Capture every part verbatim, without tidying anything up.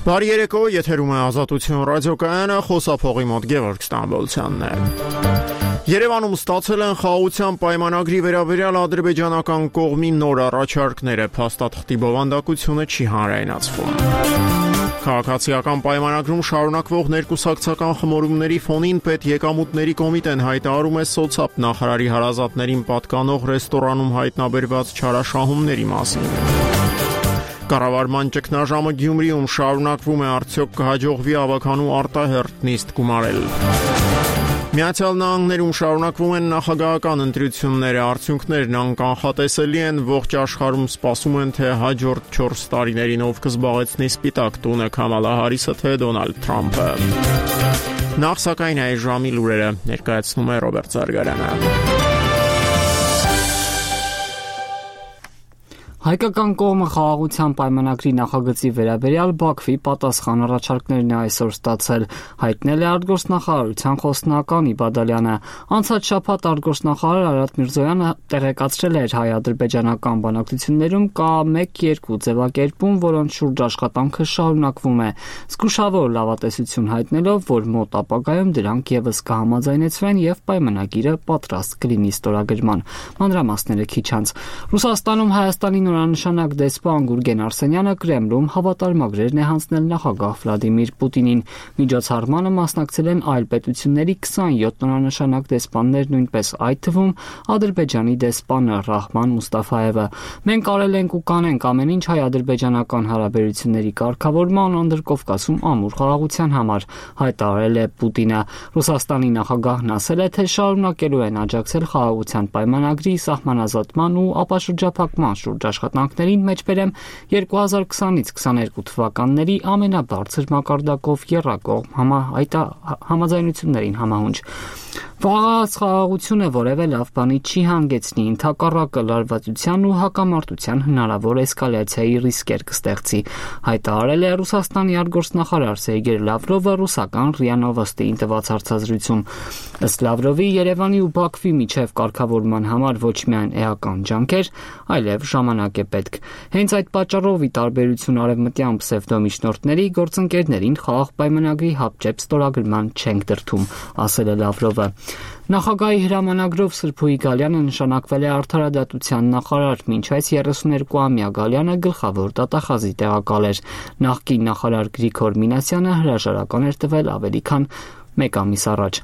Բարի երեկո, եթերում է Ազատություն ռադիոկայանը, խոսափողի մոտ Գևորգ Ստամբոլցյանն է։ Երևանում ստացել են խաղաղության պայմանագրի վերաբերյալ ադրբեջանական կողմի նոր առաջարկները, փաստաթղթի բովանդակությունը չի հանրայնացվում։ Քաղաքացիական պայմանագրում շարունակվող ներկուսակցական խմորումների ֆոնին պետեկամուտների կոմիտեն հայտարարում է սոցապ նախարարի հարազատներին պատկանող ռեստորանում հայտնաբերված չարաշահումների մասին։ Կառավարման ճգնաժամը Գյումրիում շարունակվում է, արդյոք կհաջողվի ավականու արտահերթ նիստ գումարել։ Միացյալ Նահանգներում շարունակվում են նախագահական ընտրությունները, արդյունքներն անկանխատեսելի են, ողջ աշխարհում սպասում են, թե հաջորդ չորս տարիներին ով կզբաղեցնի սպիտակ տունը՝ Քամալա Հարիսը, թե Դոնալդ Թրամփը։ Նախ սակայն այս ժամի լուրերը ներկայացնում է Ռոբերտ Զարգարյանը։ Հայկական կողմը խաղաղության պայմանագրի նախագծի վերաբերյալ Բաքվի պատասխան առաջարկներն է այսօր ստացել, հայտնել է արտգործնախարարության խոսնական Իբադալյանը։ Անցած շաբաթ արտգործնախարար Արադ Միրզոյանը տեղեկացրել էր հայ-ադրբեջանական բանակցություններում կա մեկ-երկու ձևակերպում, որոնց շուրջ աշխատանքը շարունակվում է, զգուշավոր լավատեսություն հայտնելով, որ մոտ ապագայում դրանք ևս կհամաձայնեցվեն եւ պայմանագիրը պատրաստ կլինի ստորագրման։ Մանրամասները քիչ անց։ Ռուսաստանում Հայաստանի նորանշանակ դեսպան Գուրգեն Արսենյանը Կրեմլում հավատարմագրեր է հանձնել նախագահ Վլադիմիր Պուտինին։ Միջոցառմանը մասնակցել են այլ պետությունների քսանյոթ նորանշանակ դեսպաններ, նույնպես այդ թվում Ադրբեջանի դեսպանը Ռահման Մուստաֆայևը։ Մենք արել ենք ու կանենք ամեն ինչ հայ-ադրբեջանական հարաբերությունների կարգավորման Անդրկովկասում ամուր խաղաղության համար, հայտարարել է Պուտինը։ Ռուսաստանի նախագահն ասել է, թե շարունակելու են աջակցել խաղաղության պայմանագրի սահմանազատման ու ապաշրջափակման շուրջ աշխատանքներին, մեջբերեմ երկու հազար քսանից քսաներկու թվականների ամենաբարձր մակարդակով եռակողմ համա, համաձայնություններին համահունչ։ Վաղած խաղաղությունը որևէ լավ բանի չի հանգեցնի, ընդհակառակը լարվածության ու հակամարտության հնարավոր էսկալացիայի ռիսկեր կստեղծի, հայտարարել է Ռուսաստանի արտգործնախարար Սերգեյ Լավրովը ռուսական ՌԻԱ Նովոստիին տված հարցազրույցում։ Ըստ Լավրովի, Երևանի ու Բաքվի միջև կարգավորման համար ոչ միայն էական ջանքեր, այլև ժամանակ է պետք։ Հենց այդ պատճառով, ի տարբերություն արևմտյան պսևդոմիջնորդների, գործընկերներին խաղաղ պայմանագրի հապճեպ ստորագրման չենք դրդում, ասել է Լավրովը։ Նախագահի հրամանագրով Սրփուհի Գալյանը նշանակվել է արդարադատության նախարար, մինչ այս երեսուներկուամյա Գալյանը գլխավոր դատախազի տեղակալ էր։ Նախկին նախարար Գրիգոր Մինասյանը հրաժարական էր տվել ավելի քան մեկ ամիս առաջ։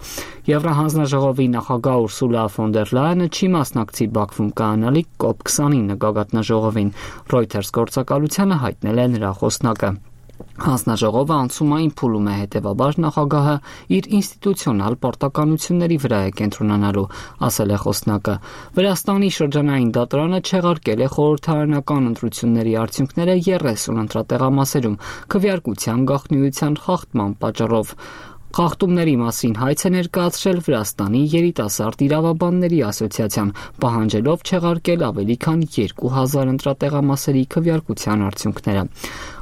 Եվրահանձնաժողովի նախագահ Ուրսուլա ֆոն դեր Լայենը չի մասնակցի Բաքվում կայանալիք կոպ քսանինը գագաթնաժողովին, Reuters գործակալությանը հայտնել է նրա խոսնակը։ Հանձնաժողովը անցումային փուլում է, հետևաբար նախագահը իր ինստիտուցիոնալ պարտականությունների վրա է կենտրոնանալու, ասել է խոսնակը։ Վրաստանի շրջանային դատարանը չեղարկել է խորհրդարանական ընտրությունների արդյունքները երեսուն ընտրատեղամասերում քվեարկության գաղտնիության խախտման պատճառով։ Խախտումների մասին հայց է ներկայացրել Վրաստանի երիտասարդ իրավաբանների ասոցիացիան, պահանջելով չեղարկել ավելի քան երկու հազար ընտրատեղամասերի քվեարկության արդյունքները։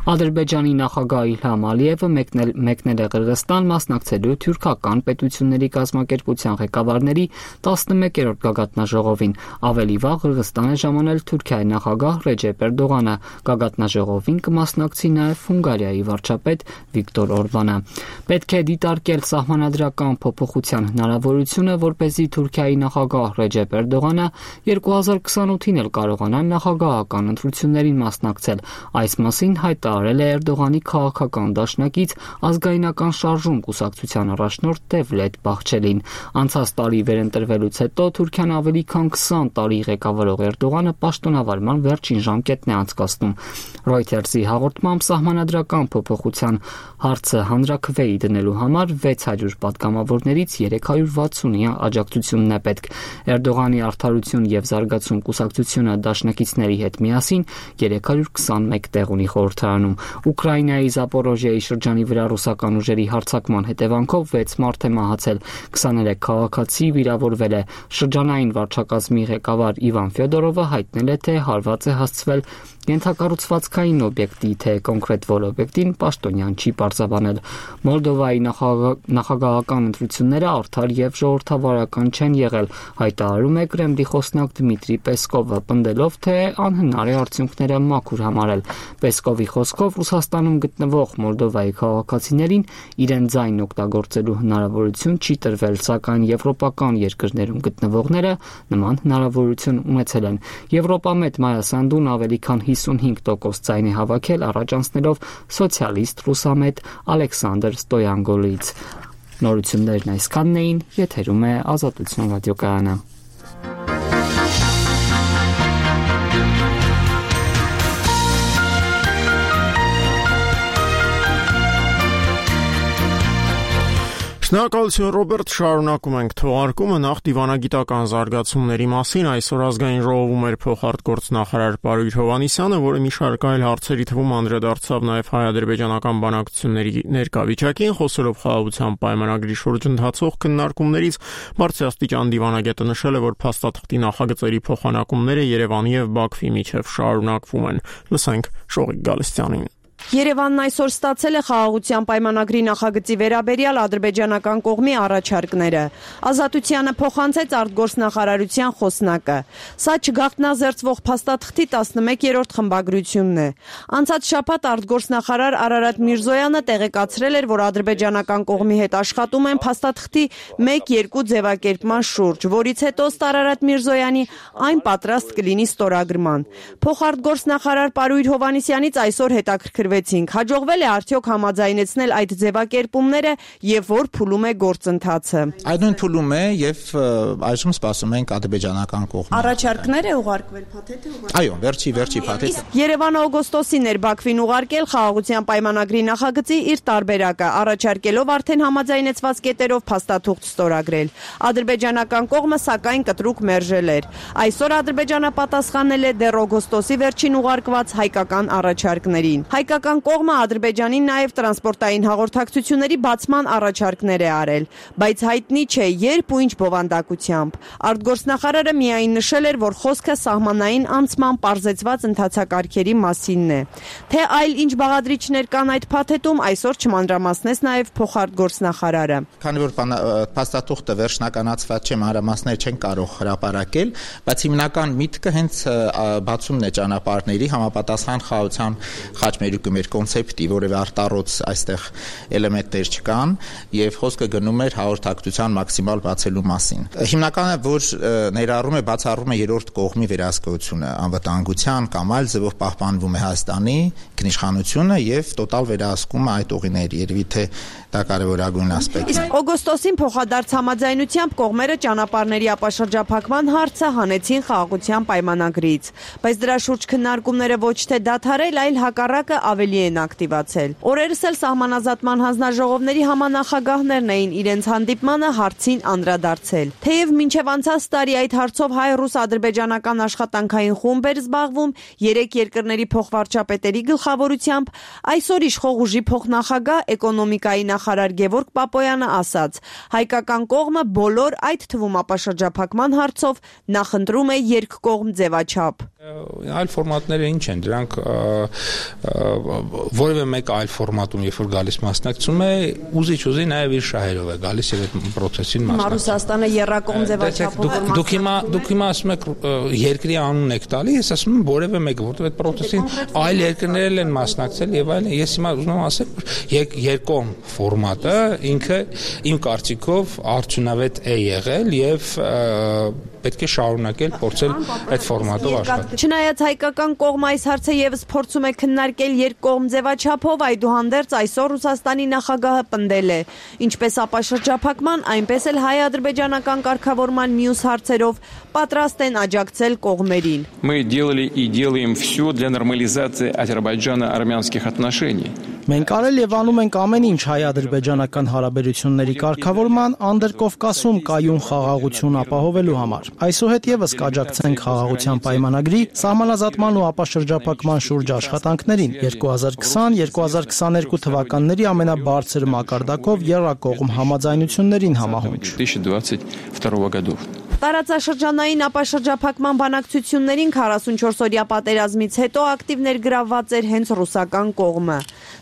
Ադրբեջանի նախագահ Իլհամ Ալիևը մեկնել, մեկնել է Qırğızstan մասնակցելու թուրքական պետությունների կազմակերպության ղեկավարների տասնմեկերորդ գագաթնաժողովին։ Ավելի վաղ Qırğızstan է ժամանել Թուրքիայի նախագահ Ռեջեփ Էրդողանը։ Գագաթնաժողովին կմասնակցի նաև Հունգարիայի վարչապետ Վիկտոր Օրբանը։ Պետք է դիտարկել սահմանադրական փոփոխության հնարավորությունը, որպեսզի Թուրքիայի նախագահ Ռեջեփ Էրդողանը երկու հազար քսանութին էլ կարողանա նախագահական ընտրություններին մասնակցել։ Այս մասին հայտարարել արել է Էրդողանի քաղաքական դաշնակից ազգայնական շարժում կուսակցության առաջնորդ Դևլետ Բախչելին։ Անցած տարի վերընտրվելուց հետո Թուրքիան ավելի քան քսան տարի ղեկավարող Էրդողանը պաշտոնավարման վերջին ժամկետն է անցկացնում։ Reuters-ի հաղորդմամբ սահմանադրական փոփոխության հարցը հանրաքվեի դնելու համար վեց հարյուր պատգամավորներից երեք հարյուր վաթսունի աջակցությունն է պետք։ Էրդողանի արդարություն եւ զարգացում կուսակցությունը դաշնակիցների հետ միասին երեք հարյուր քսանմեկ տեղ ունի խորհրդարանում։ Ուկրաինայի Զապորոժիայի շրջանի վրա ռուսական ուժերի հարձակման հետևանքով վեց մարդ է մահացել, քսաներեք քաղաքացի վիրավորվել է։ Շրջանային վարչակազմի ղեկավար Իվան Ֆյոդորովը հայտնել է, թե հարված է հասցվել Ենթակառուցվածքային օբյեկտի թե կոնկրետ որ օբյեկտին պաշտոնյան չի պարզաբանել։ Մոլդովայի նախագահական ընտրությունները արդար եւ ժողովրդավարական չեն եղել, հայտարարում է Կրեմլի խոսնակ Դմիտրի Պեսկովը, պնդելով, թե անհնար է արդյունքները մաքուր համարել։ Պեսկովի խոսքով Ռուսաստանում գտնվող Մոլդովայի քաղաքացիներին իրեն ձայն օգտագործելու հնարավորություն չի տրվել, սակայն եվրոպական երկրներում գտնվողները նման հնարավորություն ունեցել են։ Եվրոպամետ Մայա Սանդուն ավելի քան հիսունհինգ տոկոս ձայն է հավաքել, առաջ անցնելով սոցիալիստ ռուսամետ Ալեքսանդր Ստոյանգոլից։ Նորություններն այսքանն էին, եթերում է Ազատություն ռադիոկայանը։ Շնորհակալություն Ռոբերտ, շարունակում ենք թողարկումը նախ դիվանագիտական զարգացումների մասին։ Այսօր ազգային ժողովում էր փոխարտգործնախարար Պարույր Հովհաննիսյանը, որը մի շարք այլ հարցերի թվում անդրադարձավ նաև հայ-ադրբեջանական բանակցությունների ներկայավիճակին, խոսելով խաղաղության պայմանագրի շուրջ ընթացող քննարկումներից։ Բարձրաստիճան դիվանագետը նշել է, որ փաստաթղթի նախագծերի փոխանակումները Երևանի եւ Բաքվի միջև շարունակվում են։ Լսենք Շողիկ Գալստյանին։ Երևանն այսօր ստացել է խաղաղության պայմանագրի նախագծի վերաբերյալ ադրբեջանական կողմի առաջարկները։ Ազատությանը փոխանցեց արտգործնախարարության խոսնակը։ Սա չգաղտնազերծվող փաստաթղթի տասնմեկերորդ խմբագրությունն է։ Անցած շաբաթ արտգործնախարար Արարատ Միրզոյանը տեղեկացրել էր, որ ադրբեջանական կողմի հետ աշխատում են փաստաթղթի մեկ-երկու ձևակերպման շուրջ, որից հետո ըստ Արարատ Միրզոյանի այն պատրաստ կլինի ստորագրման։ Փոխարտգործնախարար Պարույր Հովհաննիսյանից այսօր հետաքրքրվեց Հաջողվել է արդյոք համաձայնեցնել այդ ձևակերպումները եւ որ փուլում է գործընթացը։ Այդ նույն փուլում է եւ այժմ սպասում ենք ադրբեջանական կողմը։ Առաջարկներ է ուղարկվել, փաթեթ է ուղարկվել։ Այո, վերջի վերջի փաթեթը։ Երևանը օգոստոսին էր Բաքվին ուղարկել խաղաղության պայմանագրի նախագծի իր տարբերակը, առաջարկելով արդեն համաձայնեցված կետերով փաստաթուղթ ստորագրել։ Ադրբեջանական կողմը սակայն կտրուկ մերժել էր։ Այսօր Ադրբեջանը պատասխանել է դեռ օգոստոսի վերջին ուղարկված հայկական առաջարկներին։ Հայկական կողմը Ադրբեջանին նաև տրանսպորտային հաղորդակցությունների բացման առաջարկներ է արել, բայց հայտնի չէ երբ ու ինչ բովանդակությամբ։ Արտգործնախարարը միայն նշել էր, որ խոսքը սահմանային անցման պարզեցված ընթացակարգերի մասինն է։ Թե այլ ինչ բաղադրիչներ կան այդ փաթեթում, այսօր չմանրամասնեց նաև փոխարտգործնախարարը։ Քանի որ փաստաթուղթը վերջնականացված չէ, մանրամասներ չեն կարող հրապարակել, բայց հիմնական միտքը հենց բացումն է ճանապարհների համապատասխան խաղաղության խաչմերուկի մեր կոնցեպտի, որևէ արտառոց այստեղ էլեմենտներ չկան եւ խոսքը գնում էր հաղորդակցության մաքսիմալ բացելու մասին։ Հիմնականը որ ներառում է բացառում է երրորդ կողմի վերահսկողությունը, անվտանգության կամ այլ ձևով պահպանվում է Հայաստանի ինքնիշխանությունը եւ տոտալ վերահսկում է այդ ուղիների, երևի թե դա կարևորագույն ասպեկտ է։ Օգոստոսին փոխադարձ համաձայնությամբ կողմերը ճանապարհների ապաշրջափակման հարցը հանեցին խաղաղության պայմանագրից, բայց դրա շուրջ քննարկումները ոչ թե դադարել, այլ հակառակը ավելի են ակտիվացել։ Օրերս էլ սահմանազատման հանձնաժողովների համանախագահներն էին իրենց հանդիպմանը հարցին անդրադարձել։ Թեև մինչև անցած տարի այդ հարցով հայ-ռուս-ադրբեջանական աշխատանքային խումբ էր զբաղվում երեք երկրների փոխվարչապետերի գլխավորությամբ, այսօր իշխող ուժի փոխնախագահ էկոնոմիկայի նախարար Գևորգ Պապոյանը ասաց. հայկական կողմը բոլոր այդ թվում ապաշրջափակման հարցով նախընտրում է երկկողմ ձևաչափ։ Այլ ֆորմատները ինչ են, դրանք որևէ մեկ այլ ֆորմատում, երբ որ գալիս մասնակցում է, ուզիչ-ուզի նաև իր շահերով է գալիս եւ այդ process-ին մասնակցում։ Ռուսաստանը երրակողմ ձևաչափով է։ Դուք հիմա դուք հիմա ասում եք երկրի անուն եք տալի, ես ասում եմ որևէ մեկը, որովհետեւ այդ process-ին այլ երկրներ են մասնակցել եւ այլն։ Ես հիմա ուզում եմ ասել, որ երկկողմ ֆորմատը ինքը իմ կարծիքով արդյունավետ է եղել եւ պետք է շարունակել փորձել այդ ֆորմատով աշխատել։ Չնայած հայկական կողմը այս հարցը եւս փորձում է քննարկել երկկողմ ձևաչափով, այդուհանդերձ այսօր Ռուսաստանի նախագահը պնդել է, ինչպես ապաշրջափակման, այնպես էլ հայ-ադրբեջանական կարգավորման մյուս հարցերով պատրաստ են աջակցել կողմերին։ Мы делали и делаем все для нормализации азербайджано-армянских отношений. Մենք արել եւ անում ենք ամեն ինչ հայ-ադրբեջանական հարաբերությունների կարգավորման Անդրկովկասում կայուն խաղաղություն ապահովելու համար։ Այսուհետ եւս կաջակցենք խաղաղության պայմանագրի սահմանազատման ու ապաշրջափակման շուրջ աշխատանքներին երկու հազար քսան երկու հազար քսաներկու թվականների ամենաբարձր մակարդակով եռակողմ համաձայնություններին համահունչ։ Տարածաշրջանային ապաշրջափակման բանակցություններին քառասունչորս օրյա պատերազմից հետո ակտիվ ներգրավված էր հենց ռուսական կողմը։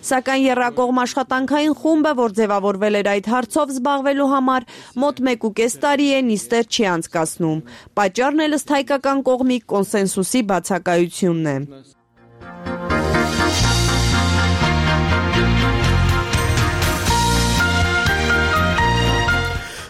Սակայն եռակողմ աշխատանքային խումբը, որ ձևավորվել էր այդ հարցով զբաղվելու համար, մոտ մեկ ու կես տարի է նիստեր չի անցկացնում։ Պատճառն էլ ըստ հայկական կողմի կոնսենսուսի բացակայությունն է։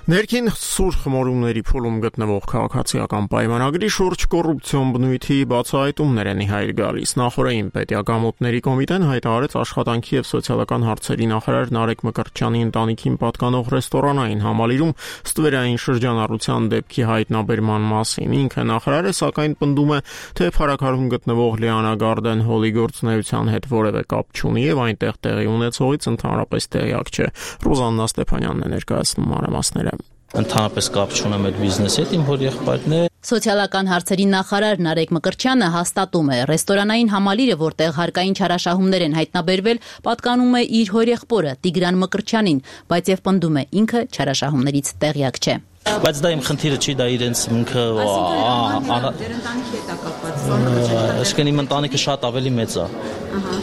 Ներքին սուր խմորումների փուլում գտնվող քաղաքացիական պայմանագրի շուրջ կոռուպցիոն բնույթի բացահայտումներ են իհայտ գալիս։ Նախորդային պետիակամուտների կոմիտեն հայտարարեց աշխատանքի եւ սոցիալական հարցերի նախարար Նարեկ Մկրտչյանի ընտանիքին պատկանող ռեստորանային համալիրում ստվերային շրջանառության դեպքի հայտնաբերման մասին։ Ինքը նախարարը սակայն պնդում է, թե փառաքարում գտնվող Լիանա Գարդեն հոլի գործունեության հետ որևէ կապ չունի եւ այնտեղ տեղի ունեցողից ընդհանրապես տեղյակ չէ։ Ռուզաննա Ստեփանյանն է ներկայացնում մանրամասները։ Ընդհանրապես կապ չունեմ այդ բիզնեսի հետ, իմ հոր եղբայրն է։ Սոցիալական հարցերի նախարար Նարեկ Մկրտչյանը հաստատում է, ռեստորանային համալիրը, որտեղ հարկային չարաշահումներ են հայտնաբերվել, պատկանում է իր հորեղբորը Տիգրան Մկրտչյանին, բայց եւ պնդում է ինքը չարաշահումներից տեղյակ չէ։ Բայց դա իմ խնդիրը չի, դա իրենց ինքը այսինքն իմ ընտանիքը շատ ավելի մեծ է։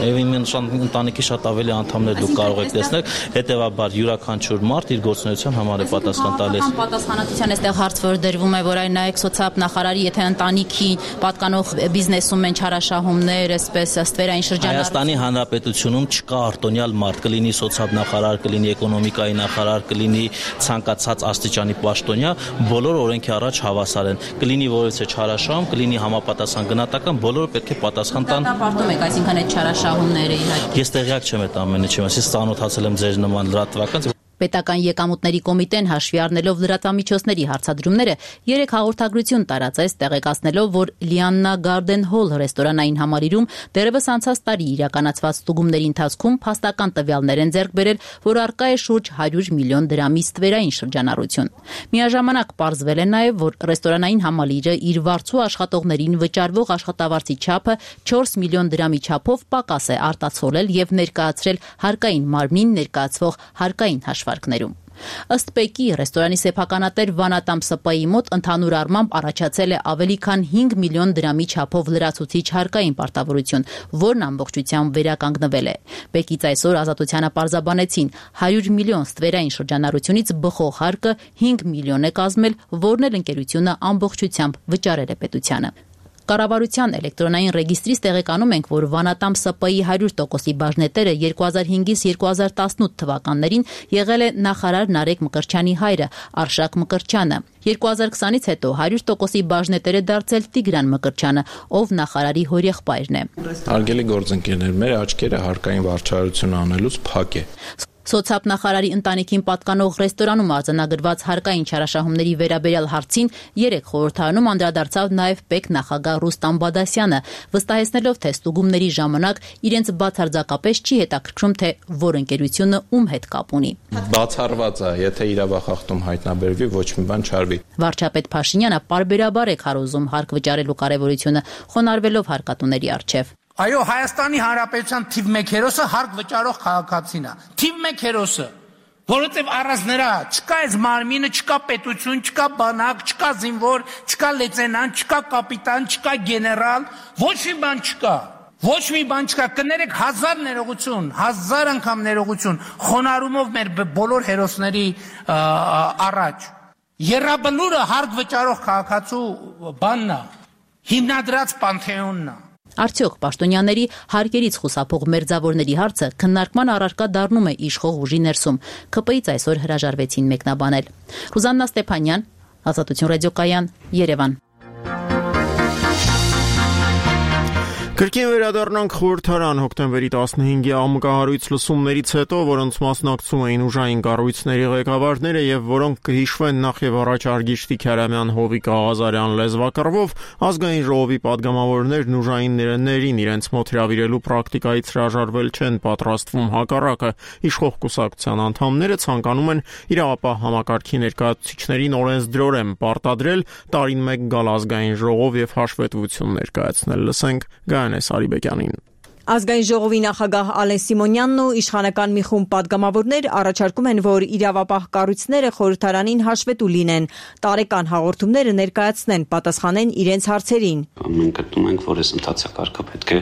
Եվ իմ ընտանիքի շատ ավելի անդամներ դուք կարող եք տեսնել, հետևաբար յուրաքանչյուր մարդ իր գործունեության համար է պատասխան տալիս։ Պատասխանատվության այստեղ հարց որ դրվում է, որ այն նայեք սոցիալ նախարարի, եթե ընտանիքի պատկանող բիզնեսում են չարաշահումներ, այսպես ստվերային շրջանառություն։ Հայաստանի Հանրապետությունում չկա արտոնյալ մարդ, կլինի սոցիալ նախարար, կլինի էկոնոմիկայի նախարար, կլինի ցանկացած աստիճանի պաշտոնյա, բոլոր օրենքի առաջ հավասար են։ Կլինի որևէ չարաշահում, կլինի համապատասխան գնահատական, բոլորը պետք է պատասխան տան։ Դա պարտում եք, այսինքն այդ չարաշահումները իհարկե։ Ես տեղյակ չեմ այդ ամենի, ես ծանոթացել եմ ձեր նման լրատվական։ Պետական եկամուտների կոմիտեն հաշվի առնելով լրատվամիջոցների հարցադրումները երեք հաղորդագրություն տարածեց, տեղեկացնելով, որ Լիաննա Գարդեն հոլ ռեստորանային համալիրում դեռևս անցած տարի իրականացված ստուգումների ընթացքում փաստական տվյալներ են ձեռք բերել, որ առկա է շուրջ հարյուր միլիոն դրամի ստվերային շրջանառություն։ Միաժամանակ պարզվել է նաև, որ ռեստորանային համալիրը իր վարձու աշխատողներին վճարվող աշխատավարձի չափը չորս միլիոն դրամի չափով պակաս է արտացոլել եւ ներկայացրել հարկային մարմնին ներկայացվող հարկային հաշվարկներում։ Ըստ Պեկի ռեստորանի սեփականատեր Վանատամ Սպայի մոտ ընդհանուր առմամբ առաջացել է ավելի քան հինգ միլիոն դրամի չափով լրացուցիչ հարկային պարտավորություն, որն ամբողջությամբ վերականգնվել է։ Պեկից այսօր Ազատությանը պարզաբանեցին հարյուր միլիոն ստվերային շրջանառությունից բխող հարկը հինգ միլիոն է կազմել, որն էլ ընկերությունը ամբողջությամբ վճարել է պետությանը։ Կառավարության էլեկտրոնային ռեգիստրից տեղեկանում ենք, որ Վանատամ ՍՊ-ի հարյուր տոկոսի բաժնետերը երկու հազար հինգից երկու հազար տասնութ թվականներին եղել է նախարար Նարեկ Մկրտչյանի հայրը Արշակ Մկրտչյանը։ երկու հազար քսանից հետո հարյուր տոկոսի բաժնետեր է դարձել Տիգրան Մկրտչյանը, ով նախարարի հորեղբայրն է։ Հարգելի գործընկերներ, մեր աչքերը հարկային վարչարություն անելուց փակ է։ Սոցիալ նախարարի ընտանիքին պատկանող ռեստորանում արձանագրված հարկային չարաշահումների վերաբերյալ հարցին երեք խորհրդարանում անդրադարձավ նաև Պեկ նախագահ Ռուստամ Բադասյանը, վստահեցնելով, թե ստուգումների ժամանակ իրենց բացարձակապես չի հետաքրքրում, թե որ ընկերությունը ում հետ կապ ունի։ Բացառված է, եթե իրավախախտում հայտնաբերվի, ոչ մի բան չարվի։ Վարչապետ Փաշինյանը պարբերաբար է քարոզում հարկ վճարելու կարևորությունը, խոնարհվելով հարկատուների առջև։ Այո, Հայաստանի Հանրապետության թիվ մեկ հերոսը հարկ վճարող քաղաքացին է։ Թիվ մեկ հերոսը, որովհետև առանց նրա չկա այս մարմինը, չկա պետություն, չկա բանակ, չկա զինվոր, չկա լեյտենանտ, չկա կապիտան, չկա գեներալ, ոչ մի բան չկա։ Ոչ մի բան չկա, կներեք հազար ներողություն, հազար անգամ ներողություն, խոնարհումով մեր բոլոր հերոսների առաջ։ Եռաբլուրը հարկ վճարող քաղաքացու բանն է, հիմնադրած պանթեոնն է։ Արդյոք պաշտոնյաների հարկերից խուսափող մերձավորների հարցը քննարկման առարկա դառնում է իշխող ուժի ներսում։ Ք П-ից այսօր հրաժարվեցին մեկնաբանել։ Ռուզաննա Ստեփանյան, Ազատություն ռադիոկայան, Երևան։ Կրկին վերադառնանք խորհրդարան հոկտեմբերի տասնհինգի ամկահարույց լսումներից հետո, որոնց մասնակցում էին ուժային կառույցների ղեկավարները եւ որոնք կհիշվեն նախ եւ առաջ Արգիշտի Քյարամյան, Հովիկ Աղազարյան լեզվակռվով, ազգային ժողովի падգամավորներն ուժային ներերներին իրենց մոտ հրավիրելու պրակտիկայից հրաժարվել չեն պատրաստվում, հակառակը իշխող կուսակցության անդամները ցանկանում են իրավապահ համակարգի ներկայացուցիչներին օրենսդրորեն պարտադրել տարին մեկ գալ ազգային ժողով եւ հաշվետվություն ներկայացնել։ Լսենք Գայանես Արիբեկյանին։ Ազգային ժողովի նախագահ Ալեն Սիմոնյանն ու իշխանական մի խումբ պատգամավորներ առաջարկում են, որ իրավապահ կառույցները խորհրդարանին հաշվետու լինեն, տարեկան հաղորդումները ներկայացնեն, պատասխանեն իրենց հարցերին։ Մենք գտնում ենք, որ այս ընթացակարգը պետք է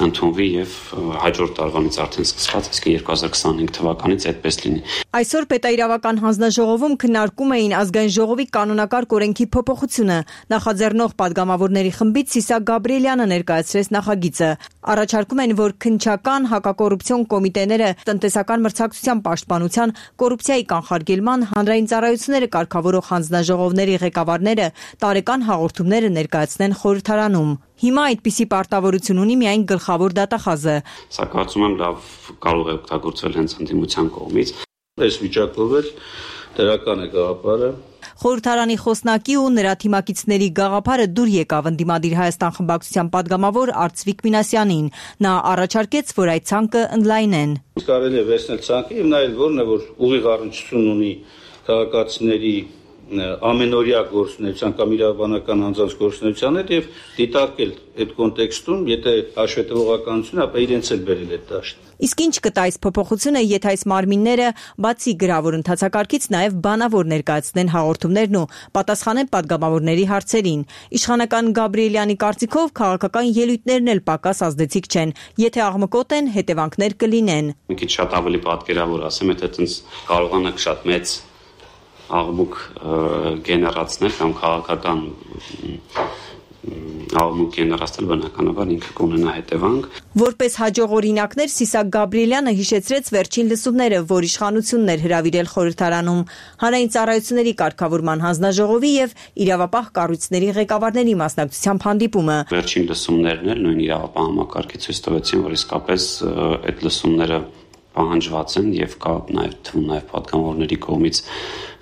ընդունվի եւ հաջորդ տարվանից արդեն սկսված, իսկ երկու հազար քսանհինգ թվականից այդպես լինի։ Այսօր պետաիրավական հանձնաժողովում քննարկում էին ազգային ժողովի կանոնակարգ օրենքի փոփոխությունը։ Նախաձեռնող պատգամավորների խմբից Սիսակ Գաբրիելյանը ներկայացրեց նախագիծը։ Առաջարկում են, որ քննչական, հակակոռուպցիոն կոմիտեները, տնտեսական մրցակցության պաշտպանության, կոռուպցիայի կանխարգելման, հանրային ծառայությունները կարգավորող հանձնաժողովների ղեկավարները տարեկան հաղորդումները ներկայացնեն խորհրդարանում։ Հիմա այդպիսի պարտավորություն ունի միայն գլխավոր դատախազը։ Սա կարծում եմ լավ կարող է օգտագործվել հենց ընդդիմության կողմից։ Այս վիճակով էլ դրական է գաղափարը։ Խորհրդարանի խոսնակի ու նրա թիմակիցների գաղափարը դուր եկավ ընդդիմադիր Հայաստան խմբակցության падգամավոր Արծվիկ Մինասյանին։ Նա առաջարկեց, որ այդ ցանկը ընդլայնեն։ Կարելի է վերցնել ցանկը, եւ նայել որն է, որ ուղիղ առնչություն ունի քաղաքացիների ամենօրյա գործունեության կամ իրավաբանական անձանց գործունեության հետ եւ դիտարկել այդ կոնտեքստում, եթե հաշվետվողականություն, ապա իրենց էլ բերել այդ դաշտ։ Իսկ ինչ կտա այս փոփոխությունը, եթե այս մարմինները բացի գրավոր ընթացակարգից նաև բանավոր ներկայացնեն հաղորդումներն ու պատասխանեն падգամավորների հարցերին։ Իշխանական Գաբրիելյանի կարծիքով քաղաքական ելույթներն էլ պակաս ազդեցիկ չեն, եթե աղմկոտ են, հետևանքներ կլինեն։ Մի քիչ շատ ավելի պատկերավոր ասեմ, եթե այդպես կարողանանք շատ մեծ աղմուկ գեներացնել կամ քաղաքական աղմուկ գեներացնել, բնականաբար ինքը կունենա հետևանք։ Որպես հաջող օրինակներ Սիսակ Գաբրիելյանը հիշեցրեց վերջին լսումները, որ իշխանությունն էր հրավիրել խորհրդարանում, հանրային ծառայությունների կարգավորման հանձնաժողովի եւ իրավապահ կառույցների ղեկավարների մասնակցությամբ հանդիպումը։ Վերջին լսումներն էլ նույն իրավապահ համակարգի ցույց տվեցին, որ իսկապես այդ լսումները պահանջված են եւ կա նաեւ թվում նաեւ падգամավորների կողմից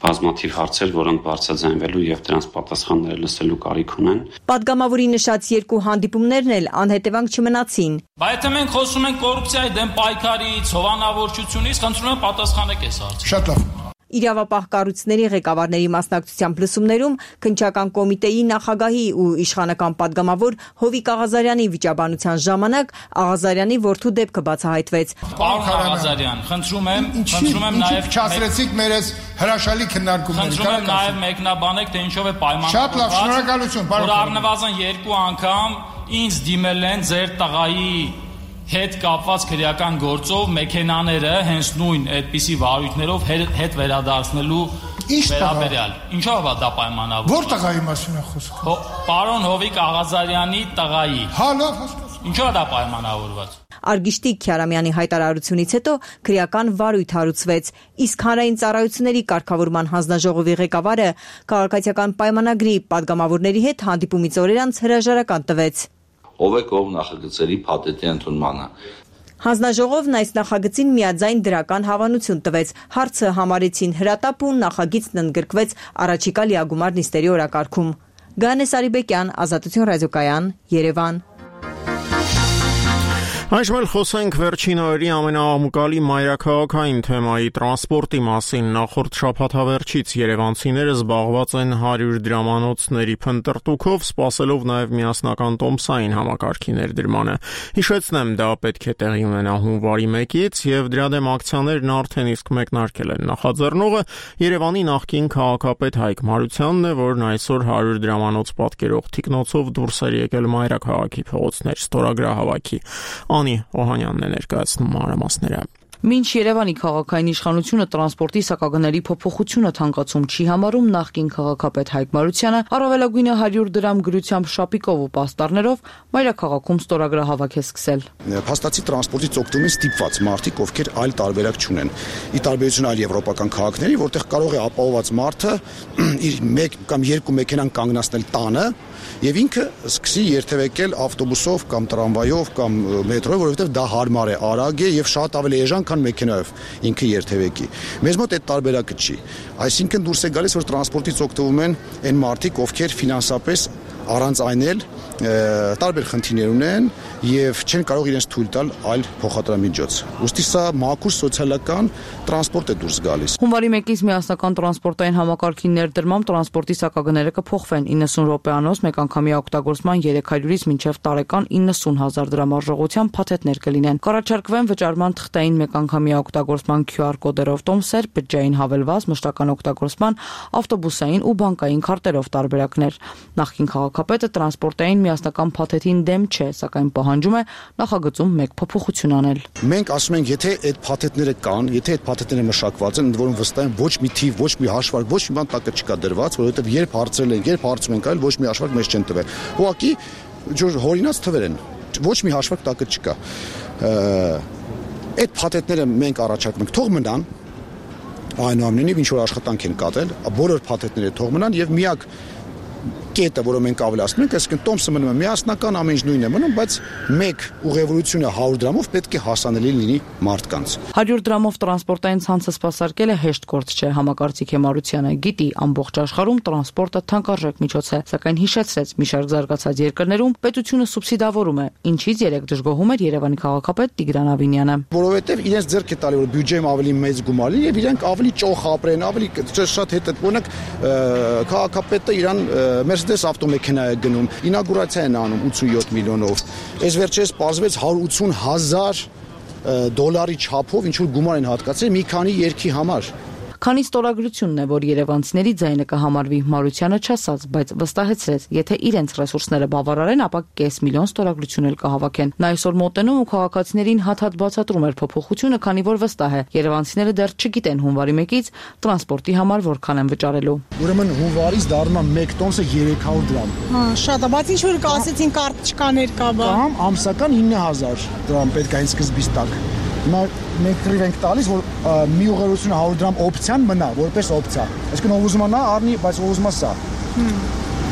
բազմաթիվ հարցեր, որոնք բարձրաձայնվելու եւ դրանց պատասխանները լսելու կարիք ունեն։ Падգամավորի նշած երկու հանդիպումներն էլ անհետևանք չմնացին։ Բայց եթե մենք խոսում ենք կոռուպցիայի դեմ պայքարից, հովանավորչությունից, խնդրում եմ պատասխանեք այս հարցին։ Շատ լավ։ Իրավապահ կառույցների ղեկավարների մասնակցությամբ լսումներում քննչական կոմիտեի նախագահի ու իշխանական падգամավոր Հովիկ Աղազարյանի վիճաբանության ժամանակ Աղազարյանի որդու դեպքը բացահայտվեց։ Պարոն Աղազարյան, խնդրում եմ, խնդրում եմ նաև չասրեցիք մեր այս հրաշալի քննարկումները։ Խնդրում եմ նաև մեկնաբանեք, թե ինչով է պայմանավորված։ Շատ լավ, շնորհակալություն, պարոն։ Որ առնվազն երկու անգամ ինձ դիմել են ձեր տղայի հետ կապված քրեական գործով մեքենաները հենց նույն այդպիսի վարույթներով հետ վերադարձնելու վերաբերյալ։ Ինչով է դա պայմանավորված։ Որ տղայի մասին է խոսքը։ Պարոն Հովիկ Աղազարյանի տղայի։ Հա, լավ, հասկացա։ Ինչով է դա պայմանավորված։ Արգիշտի Քյարամյանի հայտարարությունից հետո քրեական վարույթ հարուցվեց, իսկ հանրային ծառայությունների կարգավորման հանձնաժողովի ղեկավարը քաղաքացիական պայմանագրի падգամավորների հետ հանդիպումից օրեր անց հրաժարական տվեց։ Ով է կողմ նախագծերի փաթեթի ընդունմանը։ Հանձնաժողովն այս նախագծին միաձայն դրական հավանություն տվեց, հարցը համարեցին հրատապ ու նախագիծն ընդգրկվեց առաջիկա լիագումար նիստերի օրակարգում։ Գանե Սարիբեկյան, Ազատություն ռադիոկայան, Երևան։ Այժմ էլ խոսենք վերջին օրերի ամենաամուկալի մայրաքաղաքային թեմայի տրանսպորտի մասին։ Նախորդ շաբաթավերջից երևանցիները զբաղված են հարյուր դրամանոցների փնտրտուքով, սպասելով նաև միասնական տոմսային համակարգի ներդրմանը։ Հիշեցնեմ, դա պետք է տեղի ունենա հունվարի մեկից եւ դրա դեմ ակցիաներն արդեն իսկ մեկնարկել են։ Նախաձեռնողը Երևանի նախկին քաղաքապետ Հայկ Մարությանն է, որն այսօր հարյուր դրամանոց պատկերող թիկնոցով դուրս էր եկել մայրաքաղաքի փողոցներ ստորագրահավաքի։ Անի Օհանյանն է ներկայացնում մանրամասները։ Մինչ Երևանի քաղաքային իշխանությունը տրանսպորտի սակագների փոփոխությունը թանկացում չի համարում, նախկին քաղաքապետ Հայկ Մարությանը առավելագույնը հարյուր դրամ գրությամբ շապիկով ու պաստառներով մայրաքաղաքում ստորագրահավաք է սկսել։ Փաստացի տրանսպորտից օգտվում են ստիպված մարդիկ, ովքեր այլ տարբերակ չունեն։ Ի տարբերություն այլ եվրոպական քաղաքների, որտեղ կարող է ապահովված մարդը իր մեկ կամ երկու մեքենան կանգնացնել տանը եւ ինքը սկսի երթևեկել ավտոբուսով կամ տրամվայով կամ մետրոյով, որովհետեւ դա հարմար է, արագ է եւ շատ ավելի էժան, քան մեքենայով ինքը երթևեկի։ Մեզ մոտ այդ տարբերակը չի։ Այսինքն դուրս է գալիս, որ տրանսպորտից օգտվում են այն մարդիկ, ովքեր ֆինանսապես առանց այն էլ տարբեր խնդիրներ ունեն եւ չեն կարող իրենց թույլ տալ այլ փոխադրամիջոց։ Ոստի սա մաքուր սոցիալական տրանսպորտ է դուրս գալիս։ Հունվարի մեկից միասնական տրանսպորտային համակարգի ներդրմամբ տրանսպորտի սակագները կփոխվեն իննսուն րոպեանոց մեկանգամյա օգտագործման երեք հարյուրից մինչև տարեկան իննսուն հազար դրամ արժողությամբ փաթեթներ կլինեն։ Կառաջարկվեն վճարման թղթային մեկանգամյա օգտագործման քյու ար կոդերով տոմսեր, բջջային հավելված, մշտական օգտագործման, ավտոբուսային ու բանկային քարտերով տարբերակներ։ Նախկին քաղաքապետը տրանսպորտային միասնական փաթեթին դեմ չէ, սակայն պահանջում է նախագծում մեկ փոփոխություն անել։ Մենք ասում ենք, եթե այդ փաթեթները կան, եթե այդ փաթեթները մշակված են, ընդ որում վստահ եմ ոչ մի թիվ, ոչ մի հաշվարկ, ոչ մի բան տակը չկա դրված, որովհետև երբ հարցրել են, երբ հարցում ենք այլ ոչ մի հաշվարկ մեզ չեն տվել։ Ուղղակի ջուր հորինած թվեր են։ Ոչ մի հաշվարկ տակը չկա։ Այդ փաթեթները մենք առաջարկում ենք թող մնան, այնուամենայնիվ ինչ որ աշխատանք են կատարել, բոլոր փաթեթները թող մնան եւ միակ կետը, որը մենք ավելացնում ենք, այսինքն տոմսը մնում է միասնական, ամեն ինչ նույնն է մնում, բայց մեկ ուղևորությունը հարյուր դրամով պետք է հասանելի լինի մարդկանց։ հարյուր դրամով տրանսպորտային ցանցը սպասարկելը հեշտ գործ չէ, համակարգիչ Մարությանը գիտի, ամբողջ աշխարհում տրանսպորտը թանկարժեք միջոց է, սակայն հիշեցրեց, մի շարք զարգացած երկրներում պետությունը սուբսիդավորում է, ինչից երեք դժգոհում էր Երևանի քաղաքապետ Տիգրան Ավինյանը։ Որովհետև իրենց ձեռք է տալի, որ բյուջեում ավելի մեծ գումար լինի եւ իրենք ավելի ճոխ ապրեն, ավելի շատ հետ օրինակ քաղաքապետը իրան Mercedes ավտոմեքենա է գնում, ինագուրացիա են անում ութսունյոթ միլիոնով։ Այս վերջերս պարզվեց հարյուր ութսուն հազար դոլարի չափով ինչ որ գումար են հատկացրել մի քանի երկի համար։ Քանի ստորագրությունն է, որ երևանցիների ձայնը կհամարվի, Մարությանը չասաց, բայց վստահեցրեց, եթե իրենց ռեսուրսները բավարարեն, ապա կես միլիոն ստորագրություն էլ կհավաքեն։ Նա այսօր մոտենում ու քաղաքացիներին հատ-հատ բացատրում էր փոփոխությունը, քանի որ վստահ է, երևանցիները դեռ չգիտեն հունվարի մեկից տրանսպորտի համար որքան են վճարելու։ Ուրեմն հունվարից դառնում է մեկ տոմսը երեք հարյուր դրամ։ Հա, շատ է, բայց ինչ որ կասեցին կարտչկաներ կա բա։ Կամ ամսական ինը հազար դրամ պետք է այն սկզբից տակ։ Հիմա մենք քրիվ ենք տալիս, որ մի ուղղությունը հարյուր դրամ օպցիան մնա, որպես օպցիա։ Այսինքն ով ուզում է նա առնի, բայց ով ուզում է սա։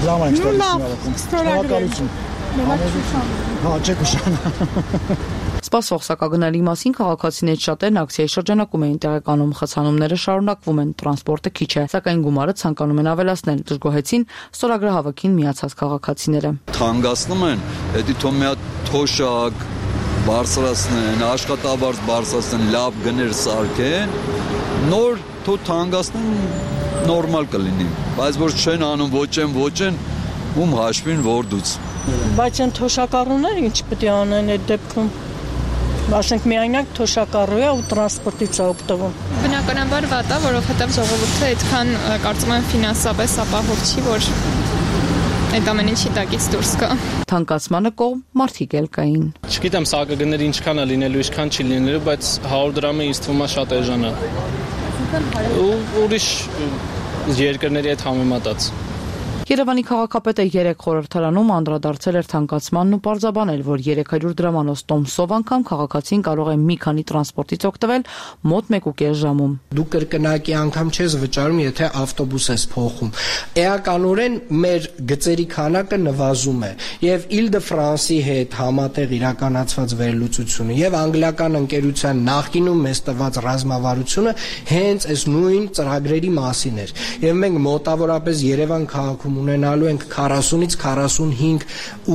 Դրամ ենք ստորագրություն։ Հա, չեք ուշանա։ Սպասող սակագնալի մասին քաղաքացիներից շատերն ակցիայի շրջանակում էին տեղեկանում, խցանումները շարունակվում են, տրանսպորտը քիչ է, սակայն գումարը ցանկանում են ավելացնել, դժգոհեցին ստորագրահավաքին միացած քաղաքացիները։ Թանկացնում են, դա թող մի հատ թոշակ բարձրացնեն, աշխատավարձ բարձրացնեն, լավ գներ սարքեն, նոր թող թանկացնեն, նորմալ կլինի, բայց որ չեն անում ոչ են, ոչ են, ում հաշվին որդուց։ Բայց այն թոշակառուները ինչ պետք է անեն այդ դեպքում։ Ասենք միայնակ թոշակառու է ու տրանսպորտից է օգտվում։ Բնականաբար վատ է, որովհետև ժողովուրդը այդքան կարծում եմ ֆինանսապես ապահով չի, որ այդ ամեն ինչի տակից դուրս գա։ Թանկացմանը կողմ մարդիկ էլ կային։ Չգիտեմ սակագները ինչքան է լինելու, ինչքան չի լինելու, բայց հարյուր դրամը ինձ թվում է շատ էժան է։ Ու ուրիշ երկրների հետ համեմատած։ Երևանի քաղաքապետը երեք խորհրդարանում անդրադարձել էր թանկացմանն ու պարզաբանել, որ երեք հարյուր դրամանոց տոմսով անգամ քաղաքացին կարող է մի քանի տրանսպորտից օգտվել մոտ մեկ ու կես ժամում։ Դու կրկնակի անգամ չես վճարում, եթե ավտոբուս ես փոխում։ Էականորեն մեր գծերի քանակը նվազում է եւ Île de France-ի հետ համատեղ իրականացված վերլուծությունը եւ անգլիական ընկերության նախկինում մեզ տված ռազմավարությունը հենց այս նույն ծրագրերի մասին էր։ Եվ մենք մոտավորապես Երևան քաղաքում ունենալու ենք քառասունից քառասունհինգ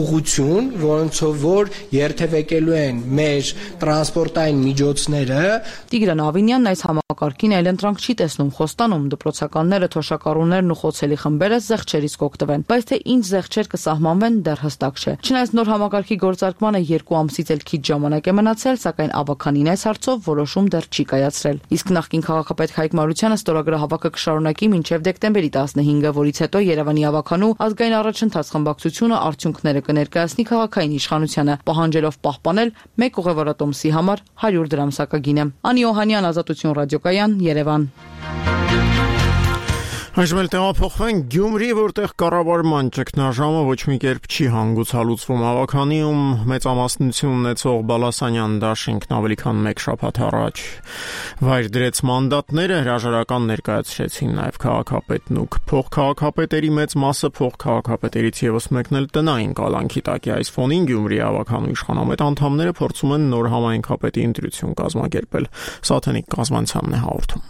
ուղղություն, որոնցով որ երթևեկելու են մեր տրանսպորտային միջոցները։ Տիգրան Ավինյանն այս համակարգին այլընտրանք չի տեսնում, խոստանում դպրոցականները, թոշակառուներն ու խոցելի խմբերը զեղչերից կօգտվեն, բայց թե ինչ զեղչեր կսահմանվեն դեռ հստակ չէ։ Չնայած նոր համակարգի գործարկմանը երկու ամսից էլ քիչ ժամանակ է մնացել, սակայն ավականին այս հարցով որոշում դեռ չի կայացրել։ Իսկ նախկին քաղաքապետ Հայկ Մարությանը ստորագրահավաքը կշարունակի մինչև դեկտեմբերի տասնհինգը, որից հետո Երևանի ավականու ազգային առաջընթաց խմբակցությունը արդյունքները կներկայացնի քաղաքային իշխանությանը, պահանջելով պահպանել մեկ ուղևորատոմսի համար հարյուր դրամ սակագինը։ Անի Օհանյան, Ազատություն ռադիոկայան, Երևան։ Այժմ էլ տեղափոխվենք Գյումրի, որտեղ կառավարման ճգնաժամը ոչ մի կերպ չի հանգուցալուծվում։ Ավականիում մեծամասնություն ունեցող Բալասանյան դաշինքն ավելի քան մեկ շաբաթ առաջ վայր դրեց մանդատները, հրաժարական ներկայացրեցին նաև քաղաքապետն ու փոխքաղաքապետերի մեծ մասը փոխքաղաքապետերից եւս մեկն էլ տնային կալանքի տակ է։ Այս ֆոնին Գյումրի ավականու իշխանամետ անդամները փորձում են նոր համայնքապետի ընտրություն կազմակերպել։ Սաթենիկ Կազմանցյանն է հաղորդում։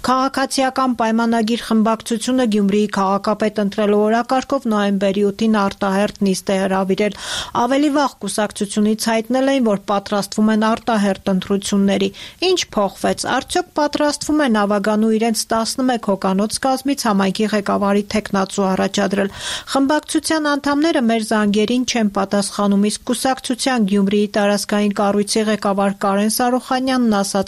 Քաղաքացիական պայմանագիր խմբակցությունը Գյումրիի քաղաքապետ ընտրելու օրակարգով նոյեմբերի ութին արտահերթ նիստ է հրավիրել։ Ավելի վաղ կուսակցությունից հայտնել էին, որ պատրաստվում են արտահերթ ընտրությունների։ Ինչ փոխվեց։ Արդյոք պատրաստվում են Ավագանու իրենց տասնմեկ հոգանոց կազմից համայնքի ղեկավարի թեկնածու առաջադրել։ Խմբակցության անդամները մեր զանգերին չեն պատասխանում, իսկ կուսակցության Գյումրիի տարածքային կառույցի ղեկավար Կարեն Սարոխանյանն ասաց.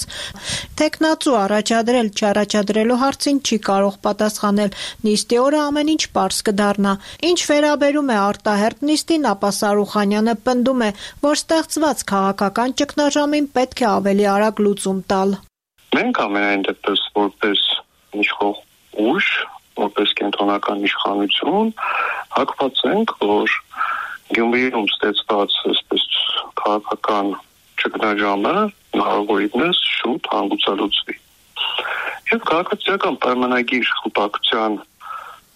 Թեկնածու առաջադրել չառաջադրելու հարցին չի կարող պատասխանել։ Նիստի օրը ամեն ինչ պարզ կդառնա։ Ինչ վերաբերում է արտահերթ նիստին, ապա Սարոխանյանը պնդում է, որ ստեղծված քաղաքական ճգնաժամին պետք է ավելի արագ լուծում տալ։ Մենք ամենայն դեպս որպես իշխող ուժ, որպես կենտրոնական իշխանություն հակված ենք, որ Գյումրիում ստեղծված այսպես քաղաքական ճգնաժամը հնարավորինս շուտ հանգուցալուծվի։ Եվ քաղաքացիական պայմանագիր խմբակցության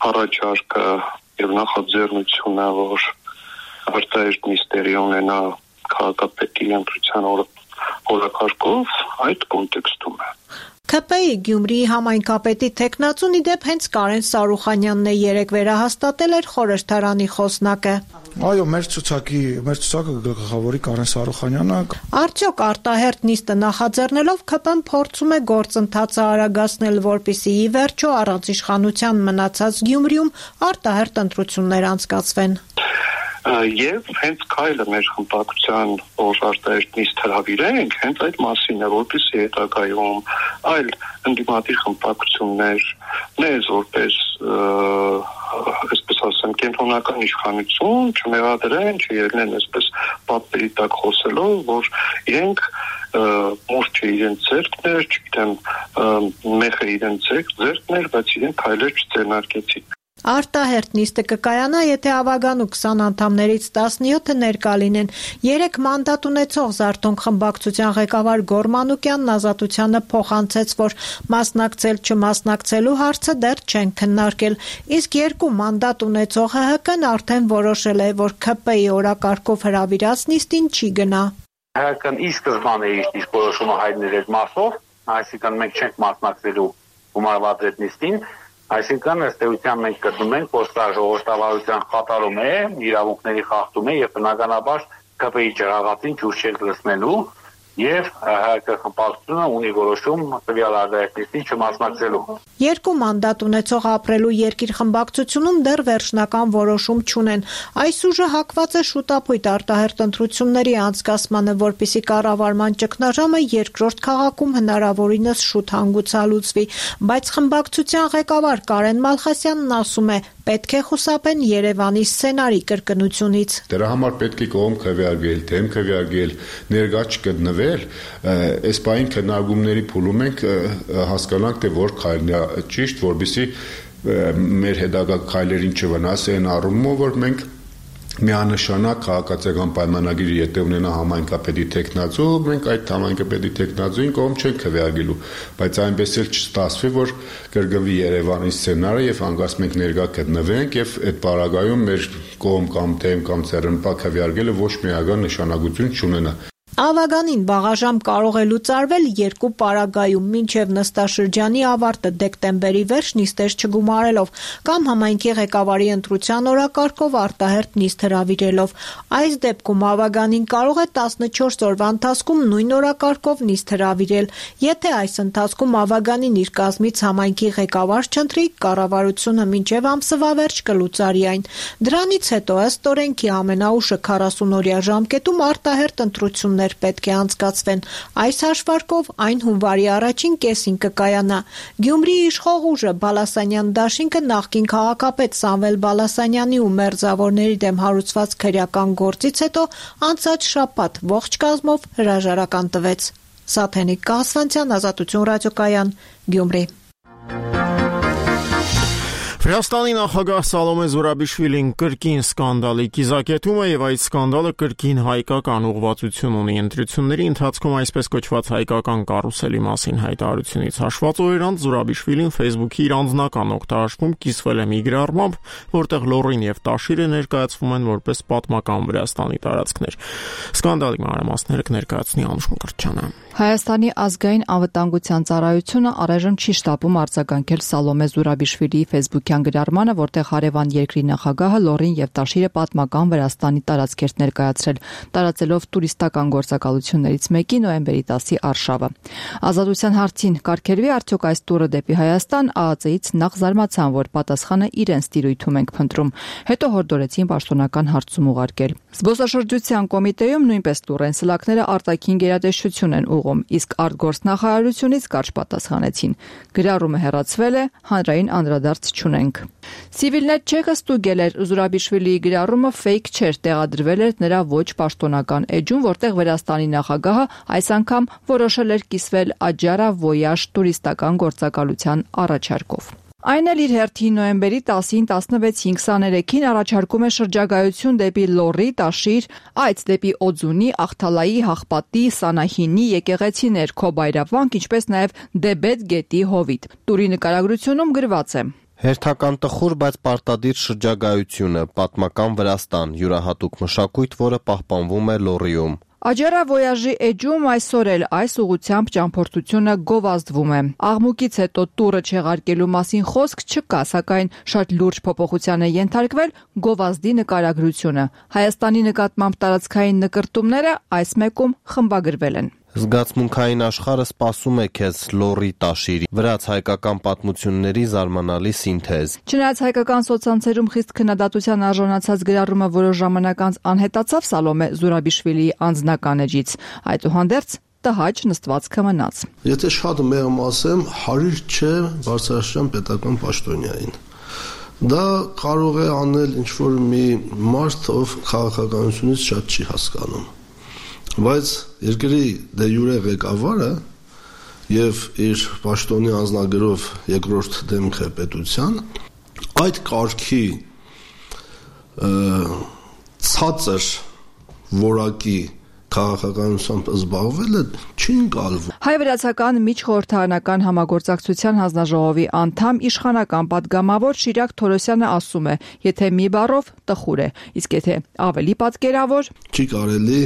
առաջարկը եւ նախաձեռնությունը, որ արտահերթ նիստերի ունենա քաղաքապետի ընտրության օրակարգով, այդ կոնտեքստում է։ K P I Գյումրիի համայնքապետի թեկնածուն ի դեպ հենց Կարեն Սարոխանյանն է երեկ վերահաստատել էր խորհրդարանի խոսնակը։ Այո, մեր ցուցակի, մեր ցուցակը գլխավորի Կարեն Սարոխանյանը։ Արդյոք արտահերթ նիստը նախաձեռնելով K P I-ն փորձում է գործընթացը արագացնել, որպեսզի ի վերջո առանց իշխանության մնացած Գյումրիում արտահերթ ընտրություններ անցկացվեն։ Եվ հենց քայլը մեր խմբակցության որ արտահերթ նիստ հրավիրենք, հենց այդ մասին է, որպեսզի հետագայում այլ ընդդիմադիր խմբակցություններ, մեզ որպես այսպես ասեմ, կենտրոնական իշխանություն չմեղադրեն, չելնեն այսպես պատերի տակ խոսելով, որ իրենք մուրճը իրենց ձեռքներ, չգիտեմ, մեխը իրենց ձեռքներ, բայց իրենք քայլեր չձեռնարկեցին։ Արտահերթ նիստը կկայանա, եթե Ավագանու քսան անդամներից տասնյոթը ներկա լինեն։ Երեք մանդատ ունեցող Զարթոնք խմբակցության ղեկավար Գոր Մանուկյանն Ազատությանը փոխանցեց, որ մասնակցել չմասնակցելու հարցը դեռ չեն քննարկել, իսկ երկու մանդատ ունեցող H H K-ն արդեն որոշել է, որ K P I օրակարգով հրավիրած նիստին չի գնա։ H H K-ն ի սկզբանե իր որոշումը հայտնել էր մասով, այսինքն մենք չենք մասնակցելու գումարված այդ նիստին։ Այսինքն ըստ էության մենք գտնում ենք, որ սա ժողովրդավարության խաթարում է, իրավունքների խախտում է եւ բնականաբար K P I ջրաղացին ջուր չենք լցնելու եւ H H K խմբակցությունը ունի որոշում տվյալ արտահերթին չմասնակցելու։ Երկու մանդատ ունեցող ապրելու երկիր խմբակցությունում դեռ վերջնական որոշում չունեն։ Այս ուժը հակված է շուտապույտ արտահերթ ընտրությունների անցկացմանը, որպեսզի կառավարման ճգնաժամը երկրորդ քաղաքում հնարավորինս շուտ հանգուցալուծվի, բայց խմբակցության ղեկավար Կարեն Մալխասյանն ասում է, պետք է խուսափեն Երևանի սցենարի կրկնությունից։ Դրա համար պետք է կողմ քվեարկել, դեմ քվեարկել, ներկա չգտնվել, այս բային քննարկումների փուլում ենք հասկանանք, թե որ քայլն է ճիշտ, որպեսզի մեր հետագա քայլերին չվնասեն առումով, որ մենք միանշանակ քաղաքացիական պայմանագիրը եթե ունենա համայնքապետի թեկնածու, մենք այդ համայնքապետի թեկնածուին կողմ չենք քվեարկելու, բայց այնպես էլ չստացվի, որ կրկնվի Երևանի սցենարը եւ հանկարծ մենք ներկա գտնվենք եւ այդ պարագայում մեր կողմ կամ դեմ կամ ցերնպա քվեարկելը ոչ միական նշանակություն չունենա։ Ավագանին վաղաժամ կարող է լուծարվել երկու պարագայում, մինչև նստաշրջանի ավարտը դեկտեմբերի վերջ նիստեր չգումարելով կամ համայնքի ղեկավարի ընտրության օրակարգով արտահերթ նիստ հրավիրելով։ Այս դեպքում Ավագանին կարող է տասնչորս օրվա ընթացքում նույն օրակարգով նիստ հրավիրել։ Եթե այս ընթացքում Ավագանին իր կազմից համայնքի ղեկավար չընտրի, կառավարությունը մինչև ամսվա վերջ կլուծարի այն։ Դրանից հետո ըստ օրենքի ամենաուշը քառասուն-օրյա ժամկետում արտահերթ ընտրություններ պետք է անցկացվեն։ Այս հաշվարկով այն հունվարի առաջին կեսին կկայանա։ Գյումրիի իշխող ուժը Բալասանյան դաշինքը նախկին քաղաքապետ Սամվել Բալասանյանի ու մերձավորների դեմ հարուցված քրեական գործից հետո անցած շաբաթ ողջ կազմով հրաժարական տվեց։ Սաթենիկ Կասվանցյան, Ազատություն ռադիոկայան, Գյումրի։ Վրաստանի նախագահ Սալոմե Զուրաբիշվիլին կրկին սկանդալի կիզակետում է եւ այդ սկանդալը կրկին հայկական ուղղվածություն ունի ընտրությունների ընթացքում այսպես կոչված հայկական կարուսելի մասին հայտարարությունից հաշված օրերանց Զուրաբիշվիլին Facebook-ի իր անձնական օգտահաշվում կիսվել է մի գրառմամբ, որտեղ լոռին եւ տաշիրը ներկայացվում են որպես պատմական Վրաստանի տարածքներ։ Սկանդալի մանրամասները կներկայացնի Անուշ Մկրտչյանը։ Հայաստանի ազգային անվտանգության ծառայությունը առայժմ չի շտապում արձագանքել Սալոմե Զուրաբիշվիլիի Facebook-յան գրառմանը, որտեղ հարևան երկրի նախագահը լոռին եւ տաշիրը պատմական Վրաստանի տարածքեր ներկայացրել, տարածելով տուրիստական գործակալություններից մեկի նոյեմբերի տասի արշավը։ Ազատության հարցին կարգելվի արդյոք այս տուրը դեպի Հայաստան, ԱԱԾ-ից նախ զարմացան, որ պատասխանը իրենց տիրույթում ենք փնտրում, հետո հորդորեցին պաշտոնական հարցում ուղարկել։ Զբոսաշրջության կոմիտեում նույնպես տուրեն սլաքները արտաքին գերատեսչություն են ուղղում, իսկ արտգործնախարարությունից կարճ պատասխանեցին։ Գրառումը հեռացվել է, հանրային անդրադարձ չունենք։ Civilnet Check-ը ստուգել էր Զուրաբիշվիլիի գրառումը fake չէր, տեղադրվել էր նրա ոչ պաշտոնական էջում, որտեղ Վրաստանի նախագահը այս անգամ որոշել էր կիսվել Աջարա Voyage տուրիստական գործակալության առաջարկով։ Այն էլ իր հերթին նոյեմբերի տասին, տասնվեցին, քսաներեքին առաջարկում է շրջագայություն դեպի Լոռի, Տաշիր, այց դեպի Օձունի, Ախթալայի, Հաղպատի, Սանահինի, եկեղեցիներ, Քոբայրավանք, ինչպես նաև Դեբետ գետի հովիտ։ Տուրի նկարագրությունում գրված է. Հերթական տխուր, բայց պարտադիր շրջագայությունը, պատմական Վրաստան, յուրահատուկ մշակույթ, որը պահպանվում է Լոռիում։ Աջարա Voyage-ի էջում այսօր էլ այս ուղղությամբ ճամփորդությունը գովազդվում է։ Աղմուկից հետո տուրը չեղարկելու մասին խոսք չկա, սակայն շատ լուրջ փոփոխության է ենթարկվել գովազդի նկարագրությունը։ Հայաստանի նկատմամբ տարածքային նկրտումները այս մեկում խմբագրվել են։ Զգացմունքային աշխարհը սպասում է քեզ Լոռի, Տաշիրի, վրաց-հայկական պատմությունների զարմանալի սինթեզ։ Չնայած հայկական սոցցանցերում խիստ քննադատության արժանացած գրառումը որոշ ժամանակ անց անհետացավ Սալոմե Զուրաբիշվիլիի անձնական էջից, այդուհանդերձ տհաճ նստվածքը մնաց։ Եթե շատ մեղմ ասեմ, հարիր չէ բարձրաստիճան պետական պաշտոնյային։ Դա կարող է անել ինչ-որ մի մարդ, ով քաղաքականությունից շատ չի հասկանում։ Բայց երկրի դե յուրե ղեկավարը եւ իր պաշտոնի անձնագրով երկրորդ դեմք է պետության, այդ կարգի ցածր որակի քաղաքականությամբ զբաղվելը չի ընկալվում։ Հայ-վրացական միջխորհրդարանական համագործակցության հանձնաժողովի անդամ իշխանական պատգամավոր Շիրակ Թորոսյանը ասում է, եթե մի բառով տխուր է, իսկ եթե ավելի պատկերավոր, չի կարելի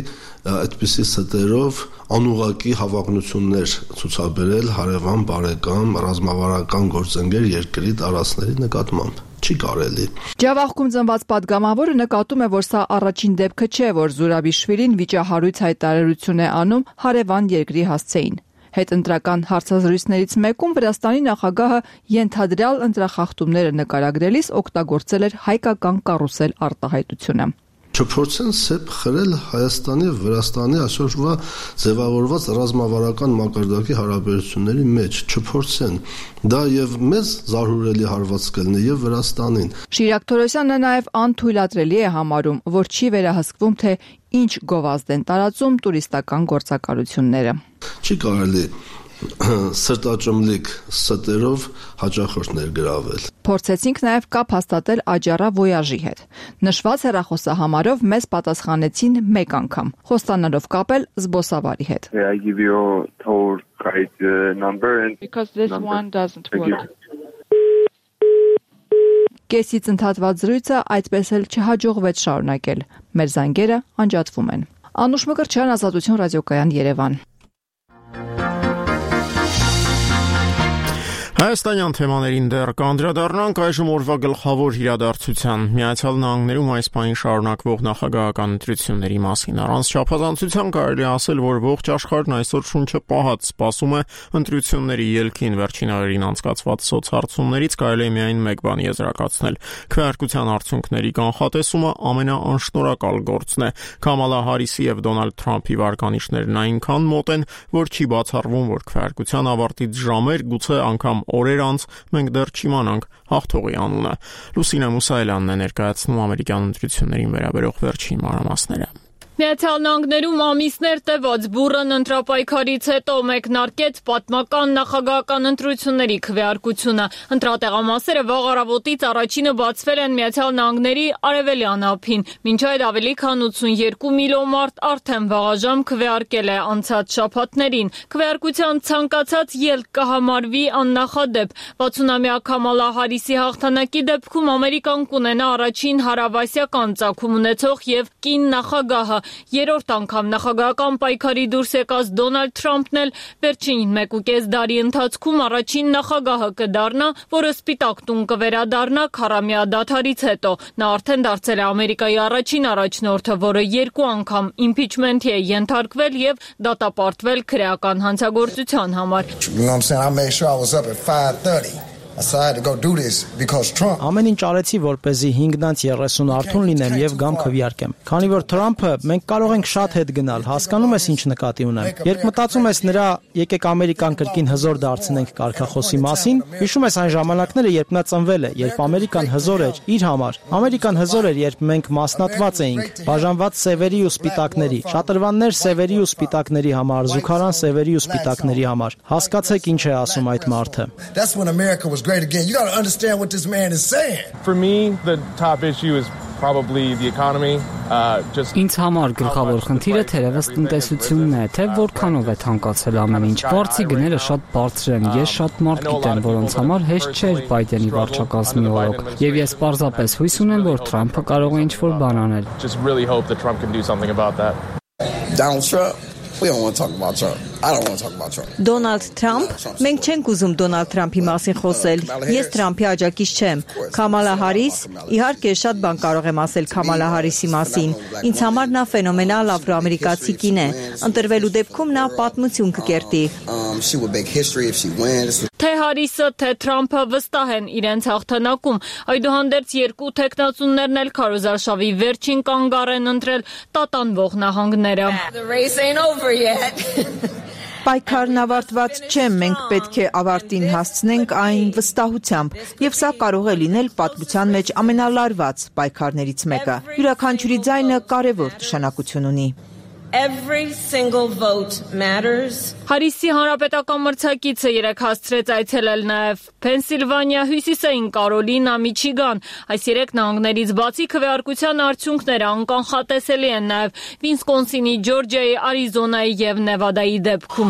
այդպիսի ստերով անուղակի հավակնություններ ցուցաբերել հարևան բարեկամ ռազմավարական գործընկեր երկրի տարածքների նկատմամբ։ Չի կարելի։ Ջավախքում ծնված պատգամավորը նկատում է, որ սա առաջին դեպքը չէ, որ Զուրաբիշվիլին վիճահարույց հայտարարություն է անում հարևան երկրի հասցեին։ Հետընտրական հարցազրույցներից մեկում Վրաստանի նախագահը ենթադրյալ ընտրախախտումները նկարագրելիս օգտագործել էր հայկական կարուսել արտահայտությունը։ Չփորձեն սեփ խրել Հայաստանի եւ Վրաստանի այսօրվա ձևավորված ռազմավարական մակարդակի հարաբերությունների մեջ, չփորձեն։ Դա եւ մեզ զարհուրելի հարված կլինի եւ Վրաստանին։ Շիրակ Թորոսյանը նաեւ անթույլատրելի է համարում, որ չի վերահսկվում, թե ինչ գովազդ են տարածում տուրիստական գործակալությունները։ Չի կարելի սրտաճմլիկ ստերով հաճախորդ ներգրավել։ Փորձեցինք նաև կապ հաստատել Աջարա Voyage-ի հետ։ Նշված հեռախոսահամարով մեզ պատասխանեցին մեկ անգամ, խոստանալով կապել զբոսավարի հետ։ I give you tour guide number and because this one doesn't work. Կեսից ընդհատված զրույցը այդպես էլ չհաջողվեց շարունակել։ Մեր զանգերը անջատվում են։ Անուշ Մկրտչյան, Ազատություն ռադիոկայան, Երևան։ Հայաստանյան թեմաներին դեռ կանդրադառնանք այժմ օրվա գլխավոր իրադարձության Միացյալ Նահանգներում այս պահին շարունակվող նախագահական ընտրությունների մասին։ Առանց չափազանցության կարելի ասել, որ ողջ աշխարհն այսօր շունչը պահած սպասում է ընտրությունների ելքին։ Վերջին օրերին անցկացված սոցհարցումներից կարելի է միայն մեկ բան եզրակացնել. քվեարկության արդյունքների կանխատեսումը ամենաանշնորհակալ գործն է։ Քամալա Հարիսի եւ Դոնալդ Թրամփի վարկանիշներն այնքան մոտ են, որ չի բացառվում, որ քվեարկության ավարտից ժամեր, գուցե անգամ օրեր անց մենք դեռ չիմանանք հաղթողի անունը։ Լուսինե Մուսայելյանն է ներկայացնում ամերիկյան ընտրություններին վերաբերող վերջին մանրամասները։ Միացյալ Նահանգներում ամիսներ տևած բուռն ընտրապայքարից հետո մեկնարկեց պատմական նախագահական ընտրությունների քվեարկությունը։ Ընտրատեղամասերը վաղ առավոտից առաջինը բացվել են Միացյալ Նահանգների արևելյան ափին։ Մինչ այդ ավելի քան ութսունյոթ միլիոն մարդ արդեն վաղաժամ քվեարկել է անցած շաբաթներին։ Քվեարկության ցանկացած ելք կհամարվի աննախադեպ։ վաթսունամյա Քամալա Հարիսի հաղթանակի դեպքում Ամերիկան կունենա առաջին հարավասիական ծագում ունեցող եւ կին նախագահը։ Երրորդ անգամ նախագահական պայքարի դուրս եկած Դոնալդ Թրամփն էլ վերջին մեկուկես դարի ընթացքում առաջին նախագահը կդառնա, որը Սպիտակ տուն կվերադառնա քառամյա դադարից հետո։ Նա արդեն դարձել է Ամերիկայի առաջին առաջնորդը, որը երկու անգամ իմպիչմենթի է ենթարկվել եւ դատապարտվել քրեական հանցագործության համար։ Ամեն ինչ արեցի, որպեսզի հինգնանց երեսուն արթուն լինեմ եւ գամ քվեարկեմ։ Քանի որ Թրամփը մենք կարող ենք շատ հետ գնալ, հասկանում ես ինչ նկատի ունեմ։ Երբ մտածում ես նրա եկեք Ամերիկան կրկին հզոր դարձնենք կարգախոսի մասին, հիշում ես այն ժամանակները, երբ նա ծնվել է, երբ Ամերիկան հզոր էր իր համար։ Ամերիկան հզոր էր, երբ մենք մասնատված էինք, բաժանված սևերի ու սպիտակների, շատրվաններ սևերի ու սպիտակների համար, զուգարան սևերի ու սպիտակների համար։ Հասկացեք ինչ է ասում այդ մարդը։ Great again. You got to understand what this man is saying. For me, the top issue is probably the economy. Uh, just Ինձ համար գլխավոր խնդիրը թերևս տնտեսությունն է, թե որքանով է թանկացել ամեն ինչ։ Վարձի գները շատ բարձր են, ես շատ մարդ գիտեմ, որոնց համար հեշտ չէր Բայդենի վարչակազմի օրոք, եւ ես պարզապես հույս ունեմ, որ Թրամփը կարող է ինչ-որ բան անել։ Just really hope that Trump can do something about that. Donald Trump. We don't want to talk about Trump. I don't want to talk about Trump. Դոնալդ Թրամփ, մենք չենք ուզում Դոնալդ Թրամփի մասին խոսել։ Ես Թրամփի աջակից չեմ։ Քամալա Հարիս, իհարկե շատ բան կարող եմ ասել Քամալա Հարիսի մասին։ Ինձ համար նա ֆենոմենալ աֆրոամերիկացի կին է։ Ընտրվելու դեպքում նա պատմություն կկերտի։ Թե Հարիսը, թե Թրամփը վստահ են իրենց հաղթանակում։ Այդուհանդերձ երկու թեկնածուներն էլ քարոզարշավի վերջին կանգառ են ընտրել տատանվող նահանգները։ Պայքարն ավարտված չէ, մենք պետք է ավարտին հասցնենք այն վստահությամբ, եւ սա կարող է լինել պատմության մեջ ամենալարված պայքարներից մեկը։ Յուրաքանչյուրի ձայնը կարևոր նշանակություն ունի։ Every single vote matters. Հարիսի հանրապետական մրցակիցը երեք հասցրեց այցելել նաև Փենսիլվանիա, Հյուսիսային Կարոլինա, Միչիգան։ Այս երեք նահանգներից բացի քվեարկության արդյունքները անկանխատեսելի են նաև Վիսկոնսինի, Ջորջիայի, Արիզոնայի եւ Նևադայի դեպքում։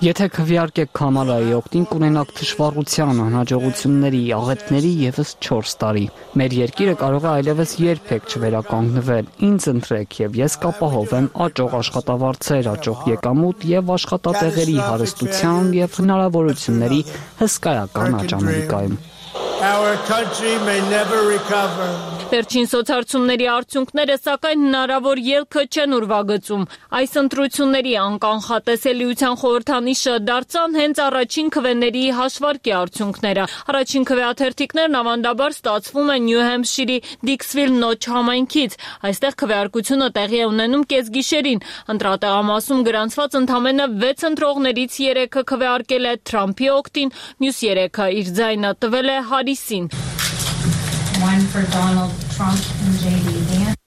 Եթե քվեարկեք Քամալայի օգտին, կունենաք թշվառության, անհաջողությունների, աղետների եւս չորս տարի։ Մեր երկիրը կարող է այլևս երբեք չվերականգնվել։ Ինձ ընտրեք եւ ես կապահով եմ աճող աշխատավարձեր, աճող եկամուտ եւ աշխատատեղերի հարստության եւ հնարավորությունների հսկայական աճ Ամերիկայում։ Our country may never recover. Վերջին սոցհարցումների արդյունքները սակայն հնարավոր ելքը չեն ուրվագծում։ Այս ընտրությունների անկանխատեսելիության խորհրդանիշը դարձան հենց առաջին քվեների հաշվարկի արդյունքները։ Առաջին քվեաթերթիկներն ավանդաբար ստացվում են Նյու Հեմփշիրի Դիքսվիլ Նոչ համայնքից։ Այստեղ քվեարկությունը տեղի է ունենում կեսգիշերին։ Ընտրատեղամասում գրանցված ընդամենը վեց ընտրողներից երեքը քվեարկել է Թրամփի օգտին, մյուս երեքը իր ձայնը տվել է Հարիսին։ One for Donald Trump and J D Vance.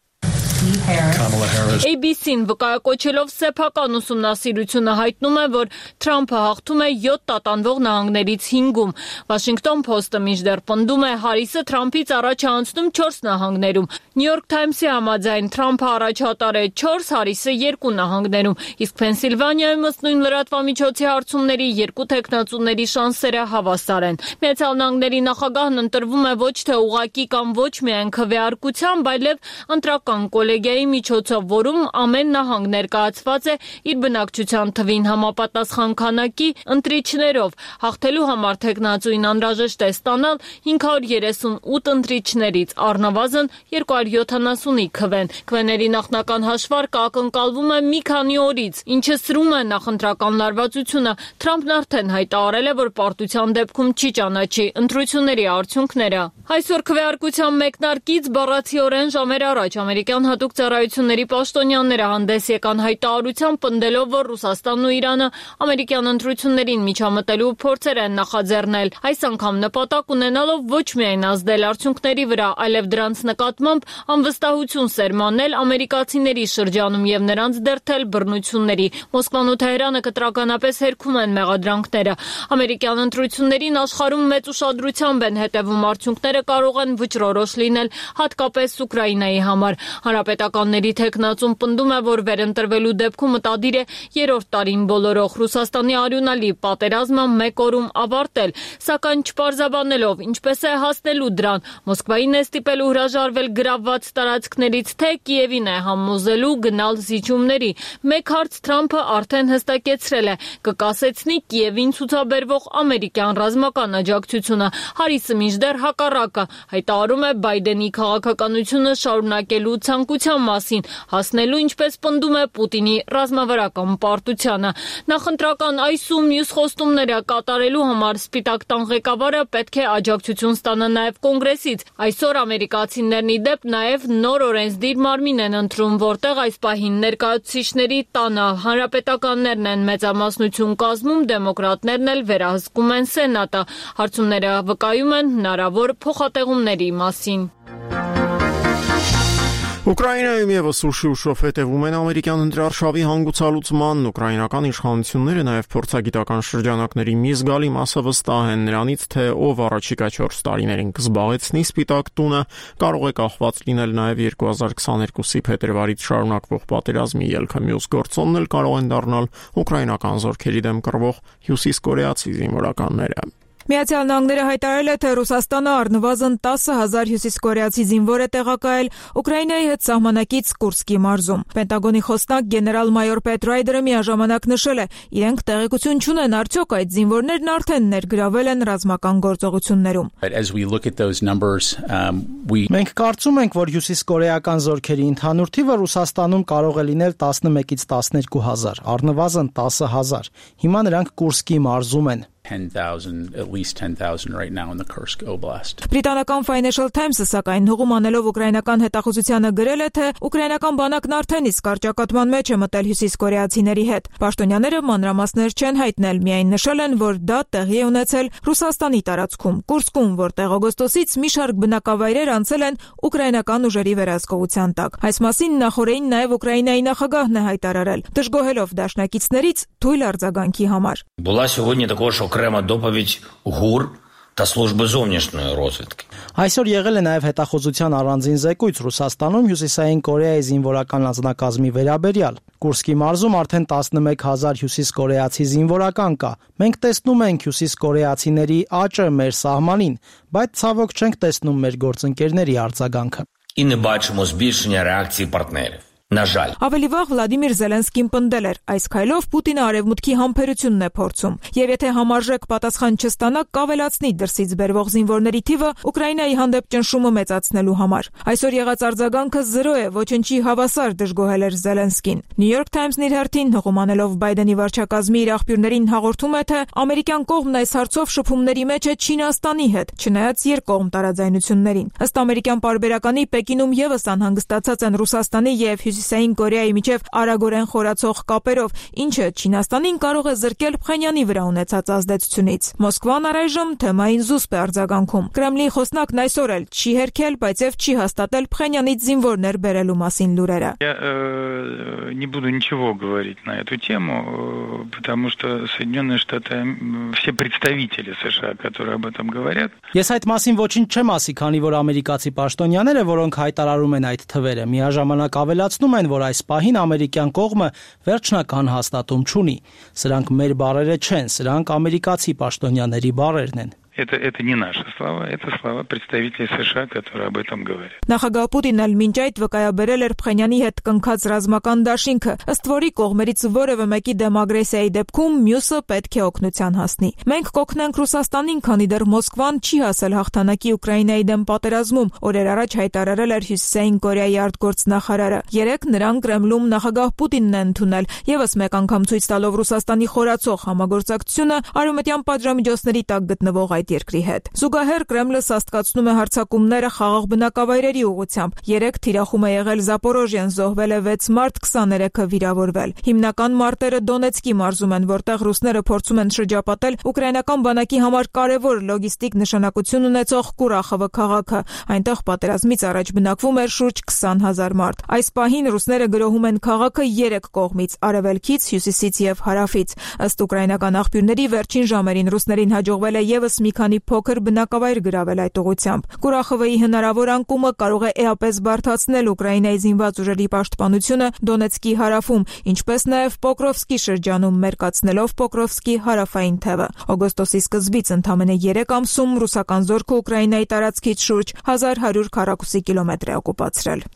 A B C-ն վկայակոչելով սեփական ուսումնասիրությունը հայտնում է, որ Թրամփը հաղթում է յոթ տատանվող նահանգներից հինգում։ Washington Post-ը մինչդեռ պնդում է Հարիսը Թրամփից առաջ է անցնում չորս նահանգներում։ New York Times-ի համաձայն Թրամփը առաջատար է չորս, Հարիսը երկու նահանգներում, իսկ Փենսիլվանիայում ըստ նույն լրատվամիջոցի հարցումների երկու թեկնածուների շանսերը հավասար են։ Միացյալ Նահանգների նախագահն ընտրվում է ոչ թե ուղղակի կամ ոչ միայն քվեարկությամբ, այլև ընտրական կոլեգիայի միջոցով, որում ամեն նահանգ ներկայացված է իր բնակչության թվին համապատասխան քանակի ընտրիչներով։ Հաղթելու համար թեկնածուին անհրաժեշտ է ստանալ հինգ հարյուր երեսունութ ընտրիչներից առնվազն երկու հարյուր յոթանասունի քվեն։ Քվեների նախնական հաշվարկը ակնկալվում է մի քանի օրից, ինչը սրում է նախընտրական լարվածությունը։ Թրամփն արդեն հայտարարել է, որ պարտության դեպքում չի ճանաչի ընտրությունների արդյունքները։ Այսօր քվեարկության մեկնարկից բառացիորեն ժամեր առաջ ամերիկյան հատուկ ծառայության ընկերությունների պաշտոնյաները հանդես եկան հայտարարությամբ, պնդելով, որ Ռուսաստանն ու Իրանը ամերիկյան ընտրություններին միջամտելու փորձեր են նախաձեռնել։ Այս անգամ նպատակ ունենալով ոչ միայն ազդել արդյունքների վրա, այլև դրանց նկատմամբ անվստահություն սերմանել ամերիկացիների շրջանում եւ նրանց դերթել բռնությունների։ Մոսկվան ու Թեհրանը կտրականապես հերքում են մեղադրանքները։ Ամերիկյան ընտրություններին աշխարհում մեծ ուշադրությամբ են հետևում, արդյունքները կարող են վճռորոշ լինել, հատկապես Ուկրաինայի համար։ Հանրապետականների թեկնածուն պնդում է, որ վերընտրվելու դեպքում մտադիր է երրորդ տարին բոլորող Ռուսաստանի արյունալի պատերազմը մեկ օրում ավարտել, սակայն չպարզաբանելով ինչպես է հասնելու դրան, Մոսկվային է ստիպելու հրաժարվել գրավված տարածքներից, թե Կիևին է համոզելու գնալ զիջումների։ Մեկ հարց Թրամփը արդեն հստակեցրել է՝ կկասեցնի Կիևին ցուցաբերվող ամերիկյան ռազմական աջակցությունը։ Հարիսը մինչդեռ հակառակը հայտարարում է Բայդենի քաղաքականությունը շարունակելու ցանկության մասին, հասնելու, ինչպես պնդում է, Պուտինի ռազմավարական պարտությանը։ Նախընտրական այս ու մյուս խոստումները կատարելու համար Սպիտակ տան ղեկավարը պետք է աջակցություն ստանա նաև Կոնգրեսից։ Այսօր ամերիկացիներն ի դեպ նաև նոր օրենսդիր մարմին են ընտրում, որտեղ այս պահին ներկայացուցիչների տանը հանրապետականներն են մեծամասնություն կազմում, դեմոկրատներն էլ վերահսկում են Սենատը։ Հարցումները վկայում են հնարավոր փոխատեղումների մասին։ Ուկրաինայում եւս ուշի ուշով հետևում են ամերիկյան ընտրարշավի հանգուցալուծմանն, ուկրաինական իշխանությունները նաև փորձագիտական շրջանակների մի զգալի մասը վստահ են նրանից, թե ով առաջիկա չորս տարիներին կզբաղեցնի Սպիտակ տունը, կարող է կախված լինել նաև երկու հազար քսաներկուսի փետրվարից շարունակվող պատերազմի ելքը։ Մյուս գործոնն էլ կարող են դառնալ ուկրաինական զորքերի դեմ կռվող հյուսիսկորեացի զինվորականները։ Միացյալ Նահանգները հայտարարել է, թե Ռուսաստանը առնվազն տասը հազար հյուսիսկորեացի զինվոր է տեղակայել Ուկրաինայի հետ սահմանակից Կուրսկի մարզում։ Պենտագոնի խոսնակ գեներալ-մայոր Պետ Ռայդերը միաժամանակ նշել է, իրենք տեղեկություն չունեն արդյոք այդ զինվորներն արդեն ներգրավել են ռազմական գործողություններում։ Մենք կարծում ենք, որ հյուսիսկորեական զորքերի ընդհանուր թիվը Ռուսաստանում կարող է լինել տասնմեկից տասներկու հազար, առնվազն տասը հազար։ Հիմա նրանք Կուրսկի մարզում են։ ten thousand, at least ten thousand right now in the Kursk Oblast. Բրիտանական Financial Times-ը սակայն հողում անելով ուկրաինական հետախուզությանը գրել է, թե ուկրաինական բանակն արդեն իսկ կարճակատման մեջ է մտել հյուսիսկորեացիների հետ։ Պաշտոնյաները մանրամասներ չեն հայտնել, միայն նշել են, որ դա տեղի է ունեցել Ռուսաստանի տարածքում, Կուրսկում, որտեղ օգոստոսից մի շարք բնակավայրեր անցել են ուկրաինական ուժերի վերահսկողության տակ։ Այս մասին նախորդին նաև Ուկրաինայի նախագահն է հայտարարել, դժգոհելով դաշնակիցներից թույլ արձագանքի համար։ Була сьогодні також окрема доповідь ГУР та служби зовнішньої розвідки. Այսօր եղել է նաև հետախուզության առանձին զեկույց Ռուսաստանում Հյուսիսային Կորեայի զինվորական անձնակազմի վերաբերյալ։ Կուրսկի մարզում արդեն տասնմեկ հազար հյուսիսկորեացի զինվորական կա։ Մենք տեսնում ենք հյուսիսկորեացիների աճը մեր սահմանին, բայց ցավոք չենք տեսնում մեր գործընկերների արձագանքը։ І не бачимо збільшення реакції партнерів. На жаль. Ավելի վաղ Վլադիմիր Զելենսկին պնդել էր, այս քայլով Պուտինը արևմուտքի համբերությունն է փորձում, եւ եթե համարժեք պատասխան չստանա, կավելացնի դրսից բերվող զինվորների թիվը Ուկրաինայի հանդեպ ճնշումը մեծացնելու համար։ Այսօր եղած արձագանքը զրո է, ոչնչի հավասար, դժգոհել էր Զելենսկին։ New York Times-ն իր հերթին հողմանելով Բայդենի վարչակազմի իր աղբյուրներին հաղորդում է, թե ամերիկյան կողմն այս հարցով շփումների մեջ է Չինաստանի հետ, չնայած երկկողմ տարաձայնություններին։ Ըստ ամերիկյան պարբերականի Պեկինում եւս անհանգստացած են Ռուսաստանի եւ Հյուսիսային Կորեայի միջև արագորեն խորացող կապերով, ինչը Չինաստանին կարող է զրկել Փխենյանի վրա ունեցած ազդեցությունից։ Մոսկվան առայժմ թեմային զուսպ է արձագանքում։ Կրեմլի խոսնակն այսօր էլ չի հերքել, բայց եւ չի հաստատել Փխենյանից զինվորներ բերելու մասին լուրերը։ Я не буду ничего говорить на эту тему, потому что Соединенные Штаты, все представители США, которые об этом говорят. Ես այդ մասին ոչինչ չեմ ասի, քանի որ ամերիկացի պաշտոնյաները, որոնք հայտարարում են այդ թվերը, միաժամանակ ավելացնում են, որ այս պահին ամերիկյան կողմը վերջնական հաստատում չունի։ Սրանք մեր բառերը չեն, սրանք ամերիկացի պաշտոնյաների բառերն են։ Это, это не наши слова, это слова представителей США, которые об этом говорят. Նախագահ Պուտինն էլ մինչ այդ վկայաբերել էր Փխենյանի հետ կնքած ռազմական դաշինքը, ըստ որի կողմերից որևէ մեկի դեմ ագրեսիայի դեպքում մյուսը պետք է օգնության հասնի։ Մենք կօգնենք Ռուսաստանին, քանի դեռ Մոսկվան չի հասել հաղթանակի Ուկրաինայի դեմ պատերազմում, օրեր առաջ հայտարարել էր Հյուսիսային Կորեայի արտգործնախարարը։ Երեկ նրան Կրեմլում նախագահ Պուտինն է ընդունել, եւս մեկ անգամ ցույց տալով Ռուսաստանի խորացող համագործակցությունը արևմտյան պատժամիջոցների տակ գտնվող այդ երկրի հետ։ Զուգահեռ Կրեմլը սաստկացնում է հարձակումները խաղաղ բնակավայրերի ուղղությամբ։ Երեք թիրախում է եղել Զապորոժիան, զոհվել է վեց մարդ, քսաներեքը վիրավորվել։ Հիմնական մարտերը Դոնեցկի մարզում են, որտեղ ռուսները փորձում են շրջապատել ուկրաինական բանակի համար կարևոր լոգիստիկ նշանակություն ունեցող Կուրախովը քաղաքը։ Այնտեղ պատերազմից առաջ բնակվում էր շուրջ քսան հազար մարդ։ Այս պահին ռուսները գրոհում են քաղաքը երեք կողմից՝ արևելքից, հյուսիսից եւ հարավից։ Ըստ ուկրաինական աղբյուրների վերջին ժամերին ռուսներին հաջողվել է եւս մի քանի փոքր բնակավայր գրավել այդ ուղղությամբ։ Կուրախովի հնարավոր անկումը կարող է էապես բարդացնել Ուկրաինայի զինված ուժերի պաշտպանությունը Դոնեցկի հարավում, ինչպես նաեւ Պոկրովսկի շրջանում, մերկացնելով Պոկրովսկի հարավային թևը։ Օգոստոսի սկզբից ընդամենը երեք ամսում ռուսական զորքը Ուկրաինայի տարածքից շուրջ հազար հարյուր քառակուսի կիլոմետր է օկուպացրել։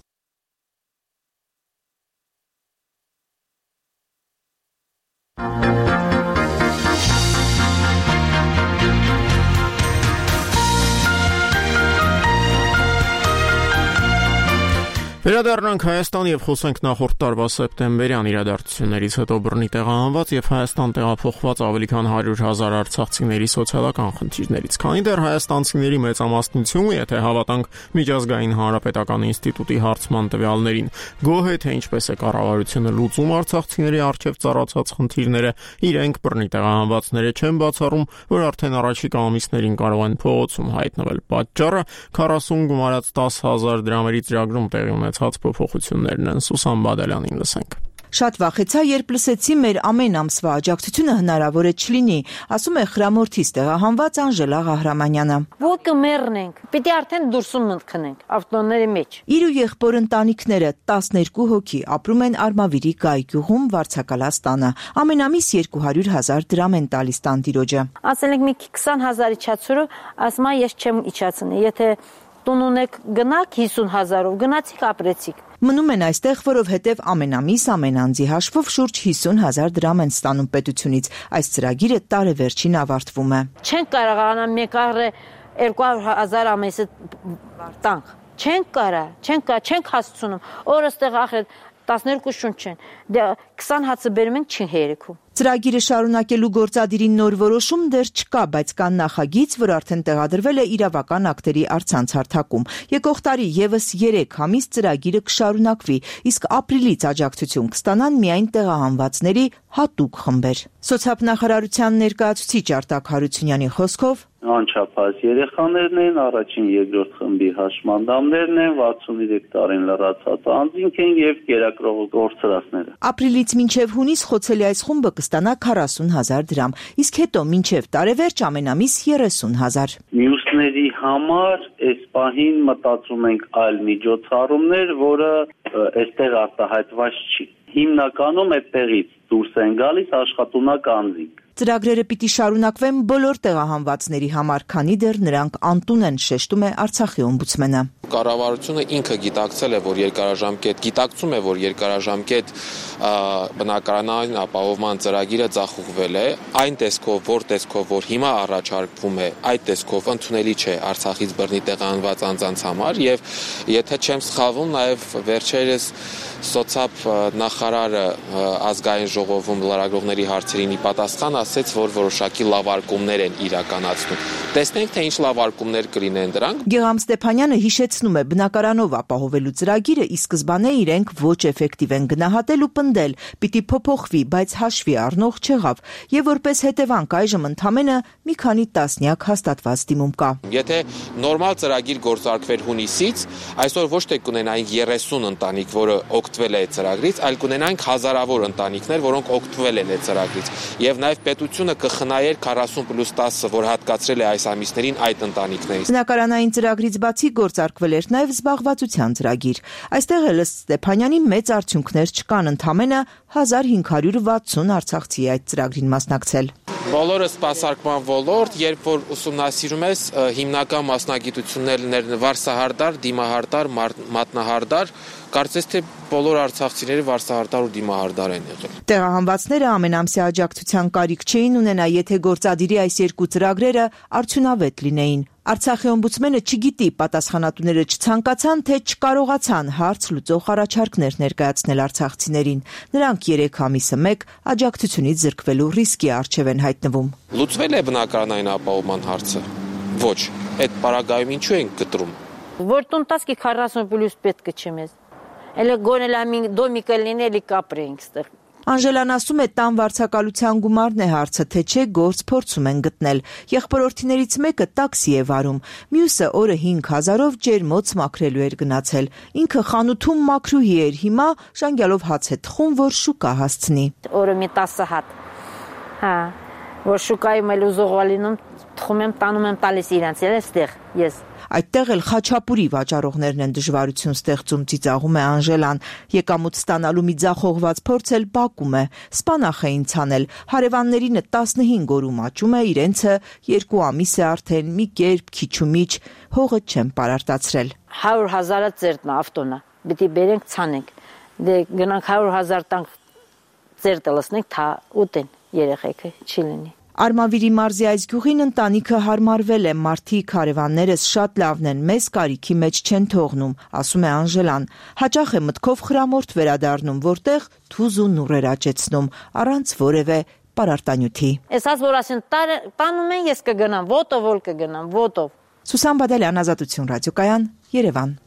Վերադառնանք Հայաստան եւ խոսենք նախորդ տարվա սեպտեմբերյան իրադարձություններից հետո բռնի տեղահանված եւ Հայաստան տեղափոխված ավելի քան հարյուր հազար արցախցիների սոցիալական խնդիրներից։ Քանի դեռ հայաստանցիների մեծամասնությունը, եթե հավատանք Միջազգային հանրապետական ինստիտուտի հարցման տվյալներին, գոհ է թե ինչպես է կառավարությունը լուծում արցախցիների առջև ծառացած խնդիրները, իրենք բռնի տեղահանվածները չեն բացառում, որ արդեն առաջիկա ամիսներին կարող են փողոցում հայտնվել։ Պատճառը քառասուն գումարած տասը հազար դրամերի ծրագրում տեղի ունեցած փոփոխություններն են։ Սուսան Բադալյանին լսենք։ Շատ վախեցա, երբ լսեցի մեր ամեն ամսվա աջակցությունը հնարավոր է չլինի, ասում է Խրամորթից տեղահանված Անժելա Ղահրամանյանը։ Ոտքը մեռնենք, պիտի արդեն դուրսում մտնենք ավտոների մեջ։ Իր ու եղբոր ընտանիքները տասներկու հոգի ապրում են Արմավիրի Գայ գյուղում Վարդցակալած տանը։ Ամեն ամիս երկու հարյուր հազար դրամ են տալիս տանտիրոջը։ Ասել ենք մի քսան հազար իջացրու, ասում ես չեմ իջացնի, եթե տուն ունեք գնաք հիսուն հազարով, գնացիք ապրեցիք։ Մնում են այստեղ, որովհետև ամեն ամիս ամեն անձի հաշվով շուրջ հիսուն հազար դրամ են ստանում պետությունից։ Այս ծրագիրը տարեվերջին ավարտվում է։ Չենք կարողանա մեկ առը երկու հազար ամիսը տանք։ Չենք կարա, չենք կարա, չենք հասցնում։ Օրստեղ ախր տասներկու շունչ են։ Դե քսան հացը բերում ենք չի հերիքում։ Ծրագիրը շարունակելու գործադիրի նոր որոշում դեռ չկա, բայց կան նախագիծ, որ արդեն տեղադրվել է իրավական ակտերի առցանց հարթակում։ Եկող տարի եւս երեք ամիս ծրագիրը կշարունակվի, իսկ ապրիլից աջակցություն կստանան միայն տեղահանվածների հատուկ խմբեր։ Սոցիալնախարարության ներկայացուցիչ Արտակ Հարությունյանի խոսքով անչափահաս երեխաներն են, առաջին երկրորդ խմբի հաշմանդամներն են, վաթսուներեք տարին լրացած անձինք են եւ կերակրող գործարարները։ Ապրիլից մինչեւ հունիս խոցելի այս խումբը կստանա քառասուն հազար դրամ, իսկ հետո մինչեւ տարեվերջ ամեն ամիս երեսուն հազար։ Մյուսների համար այս պահին մտածում ենք այլ միջոցառումներ, որը այստեղ արտահայտված չի։ Հիմնականում այդտեղից դուրս են գալիս աշխատունակ անձինք։ Ծրագրերը պիտի շարունակվեն բոլոր տեղահանվածների համար, քանի դեռ նրանք անտուն են, շեշտում է Արցախի օմբուդսմենը։ Կառավարությունը ինքը գիտակցել է, որ երկարաժամկետ գիտակցում է, որ երկարաժամկետ բնակարանային ապահովման ծրագիրը ձախողվել է, այն տեսքով, որ տեսքով, որ հիմա առաջարկվում է, այդ տեսքով ընդունելի չէ Արցախից բռնի տեղահանված անձանց համար եւ եթե չեմ սխալվում, նաեւ վերջերս սոցիալ նախարարը ազգային ժողովում լրագրողների հարցերին ի պատասխան ասեց, որ որոշակի լավարկումներ են իրականացնում։ Տեսնենք, թե ինչ լավարկումներ կլինեն դրանք։ Գեգամ Ստեփանյանը հիշեցնում է, բնակարանով ապահովելու ծրագիրը ի սկզբանե իրենք ոչ էֆեկտիվ են գնահատել ու պնդել, պիտի փոփոխվի, բայց հաշվի առնող չեղավ, եւ որպես հետևանք այժմ ընդամենը մի քանի տասնյակ հաստատված դիմում կա։ Եթե նորմալ ծրագիր գործարկվեր հունիսից, այսօր ոչ թե կունենայինք երեսուն ընտանիք, որը օգտվել է ծրագրից, այլ կունենայինք հազարավոր ընտանիքներ, որոնք օգտվել են այդ ծրագրից, եւ նաեւ պետությունը կխնայեր քառասուն պլյուս տասը, որ հատկացրել է այս ամիսներին այդ ընտանիքներից։ Բնակարանային ծրագրից բացի գործարկվել էր նաեւ զբաղվածության ծրագիր։ Այստեղ էլ ըստ Ստեփանյանի մեծ արդյունքներ չկան, ընդամենը հազար հինգ հարյուր վաթսուն արցախցի այդ ծրագրին մասնակցել։ Բոլորը սպասարկման ոլորտ, երբ որ ուսումնասիրում ես հիմնական մասնագիտություններն վարսահարդար, դիմահարդար, մատնահարդար, կարծես թե բոլոր արցախցիները վարսահարդար ու դիմահարդար են եղել։ Տեղահանվածները ամենամսյա աջակցության կարիք չէին ունենա, եթե գործադիրի այս երկու ծրագրերը արդյունավետ լինեին։ Արցախի օմբուդսմենը չգիտի, պատասխանատուները չցանկացան, թե չկարողացան հարց լուծող առաջարկներ ներկայացնել արցախցիներին։ Նրանք երեք ամիսը մեկ աջակցությունից զրկվելու ռիսկի առջև են հայտնվում։ Լուծվել է բնակարանային ապահովման հարցը։ Ոչ, այդ պարագայում ինչու ենք կտրում։ Որ տունտասկի քառասուն պլյուս պետք չէ մեզ։ Էլի գոնելամին դոմիկը լինելի կապրենք ստեղ։ Անժելան ասում է տան վարձակալության գումարն է հարցը, թե չէ գործ փորձում են գտնել։ Եղբորորդիներից մեկը տաքսի է վարում, մյուսը օրը հինգ հազարով ջերմոց մաքրելու էր գնացել։ Ինքը խանութում մաքրուհի էր, հիմա ժանգյալով հաց է թխում, որ շուկա հասցնի։ Օրը մի տասը հատ։ Հա, որ շուկայում էլ ուզողալինում թխում եմ, տանում եմ տալիս իրանց, էլ ստեղ ես։ Այդտեղ էլ խաչապուրի վաճառողներն են դժվարություն ստեղծում, ծիծաղում է Անժելան։ Եկամուտ ստանալու մի ձախողված փորձ էլ Բաքում է։ Սպանախ էին ցանել։ Հարևաններինը տասնհինգ օրում աճում է, իրենցը երկու ամիս է արդեն մի կերպ քիչումիչ հողը չեն պարարտացրել։ հարյուր հազարը ծերտնա ավտոնա։ Պիտի բերենք ցանենք։ Դե գնանք հարյուր հազար տանք ծերտը լսնենք, թա ուտեն երեխեքը չի լինի։ Արմավիրի մարզի այս գյուղին ընտանիքը հարմարվել է, մարդիկ հարևաններս շատ լավն են, մեզ կարիքի մեջ չեն թողնում, ասում է Անժելան։ Հաճախ է մտքով խրամորդ վերադառնում, որտեղ թուզ ու նուռեր աճեցնում, առանց որևէ պարարտանյութի։ Էսած որ ասեն տանում են, ես կգնամ, ոտով որ կգնամ, ոտով։ Սուսան Բադալյան, Ազատություն ռադիոկայան, Երևան։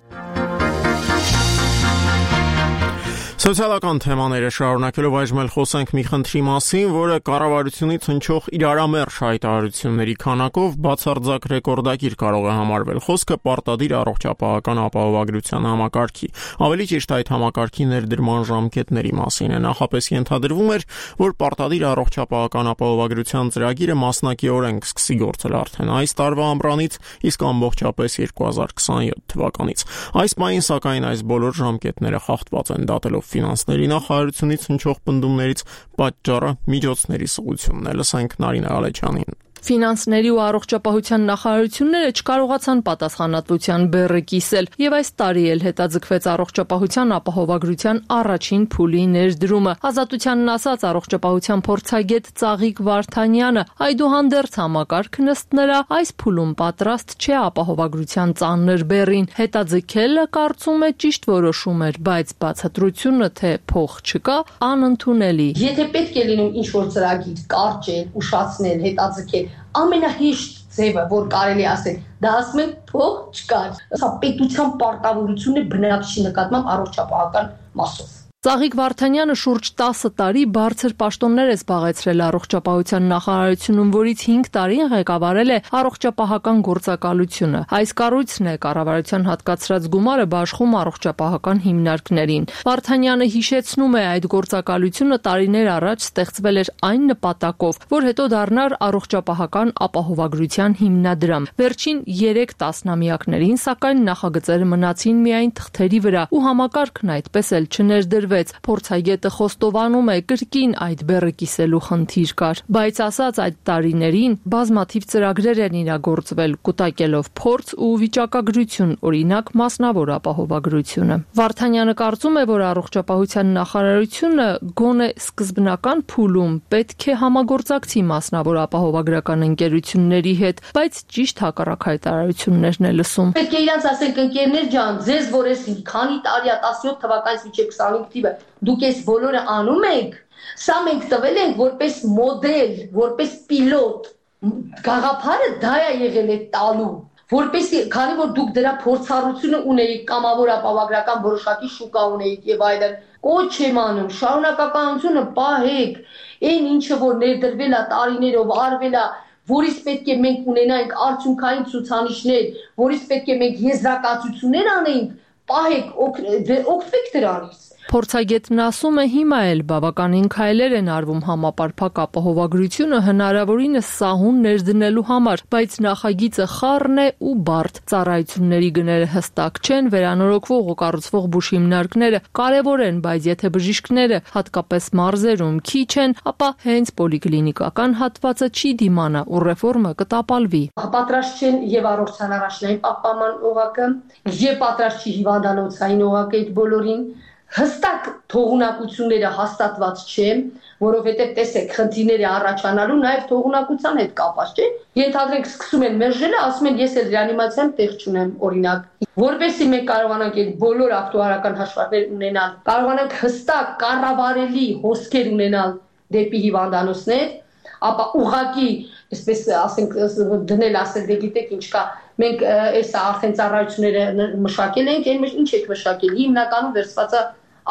Սոցիալական թեմաները շարունակելով այժմ էլ խոսենք մի խնդրի մասին, որը կառավարությունից հնչող իրարամերժ հայտարարությունների քանակով բացարձակ ռեկորդակիր կարող է համարվել։ Խոսքը պարտադիր առողջապահական ապահովագրության համակարգի, ավելի ճիշտ այդ համակարգի ներդրման ժամկետների մասին է։ Նախապես ենթադրվում էր, որ պարտադիր առողջապահական ապահովագրության ծրագիրը մասնակիորեն կսկսի գործել արդեն այս տարվա ամռանից, իսկ ամբողջապես երկու հազար քսաներորդ թվականից։ Այս պահին սակայն այս բոլոր ժամկետները խախտված են, դատելով ֆինանսների նախարարությունից հնչող պնդումներից պատճառը միջոցների սղությունն է։ Լսենք Նարինե Ալեչյանին։ Ֆինանսների ու առողջապահության նախարարությունները չկարողացան պատասխանատվության բեռը կիսել, եւ այս տարի էլ հետաձգվեց առողջապահության ապահովագրության առաջին փուլի ներդրումը։ Ազատությանն ասած առողջապահության փորձագետ Ծաղիկ Վարդանյանը այդուհանդերձ համակարգն ըստ նրա այս փուլում պատրաստ չէ ապահովագրության ծանր բեռին։ Հետաձգելը կարծում է ճիշտ որոշում էր, բայց բացատրությունը, թե փող չկա, անընդունելի։ Եթե պետք է լինում ինչ-որ ծրագիր կարճել, ուշացնել, հետաձգել, ամենահեշտ ձևը, որ կարելի ասել, դա ասում են փող չկար։ Սա պետության պարտավորությունն է բնակչի նկատմամբ առողջապահական մասով։ Ծաղիկ Վարդանյանը շուրջ տասը տարի բարձր պաշտոններ է զբաղեցրել առողջապահության նախարարությունում, որից հինգ տարին ղեկավարել է առողջապահական գործակալությունը։ Այս կառույցն է կառավարության հատկացրած գումարը բաշխում առողջապահական հիմնարկներին։ Վարդանյանը հիշեցնում է, այդ գործակալությունը տարիներ առաջ ստեղծվել էր այն նպատակով, որ հետո դառնար առողջապահական ապահովագրության հիմնադրամ։ Վերջին երեք տասնամյակներին, սակայն նախագծերը մնացին միայն թղթերի վրա, ու համակարգն այդպես էլ չներդրվեց։ Փորձագետը խոստովանում է, կրկին այդ բեռը կիսելու խնդիր կար, բայց ասած այդ տարիներին բազմաթիվ ծրագրեր են իրագործվել, կուտակելով փորձ ու վիճակագրություն, օրինակ մասնավոր ապահովագրությունը։ Վարդանյանը կարծում է, որ առողջապահության նախարարությունը գոնե սկզբնական փուլում պետք է համագործակցի մասնավոր ապահովագրական ընկերությունների հետ, բայց ճիշտ հակառակ հայտարարություններն է լսում։ Պետք է իրանց ասենք, ընկերներ ջան, ձեզ որ էս քանի տարի է, տասնյոթ թվականից մինչև քսանհինգ դուք այս բոլորը անում եք, սա մենք տվել ենք որպես մոդել, որպես պիլոտ, գաղափարը դա է եղել է տալու, որպեսզի, քանի որ դուք դրա փորձառությունը ունեիք, կամավոր ապահովագրական որոշակի շուկա ունեիք եւ այլն, կոչ եմ անում, շարունակականությունը պահեք, այն ինչը որ ներդրվել է տարիներով, արվել է, որից պետք է մենք ունենայինք արդյունքային ցուցանիշներ, որից պետք է մենք եզրակացություններ անեինք, պահեք, օգտվեք դրանից։ Փորձագետն ասում է, հիմա էլ բավականին քայլեր են արվում համապարփակ ապահովագրությունը հնարավորինս սահուն ներդնելու համար, բայց նախագիծը խառն է ու բարդ։ Ծառայությունների գները հստակ չեն, վերանորոգվող ու կառուցվող բուժհիմնարկները կարևոր են, բայց եթե բժիշկները, հատկապես մարզերում, քիչ են, ապա հենց պոլիկլինիկական հատվածը չի դիմանա ու ռեֆորմը կտապալվի։ Պատրաստ չեն եւ առողջության առաջնային պահպանման օղակը, եւ պատրաստ չի հիվանդանոցային օղակը այդ բոլորին։ Հստակ թողունակությունները հաստատված չէ, որովհետև տեսեք, խնդիրները առաջանալու նաև թողունակության հետ կապված չէ։ Ենթադրենք սկսում են մերժելը, ասում են ես էլ ռեանիմացիայում տեղ չունեմ, օրինակ։ Որպեսզի մենք կարողանանք այդ բոլոր ակտուարական հաշվարկներ ունենալ, կարողանանք հստակ կառավարելի հոսքեր ունենալ դեպի հիվանդանոցներ, ապա ուղակի, այսպես ասենք, դնել ասել դե գիտեք ինչ կա, մենք այսա արդեն ծառայությունները մշակել ենք, այն ինչ եք մշակել, հիմնականում վերցված է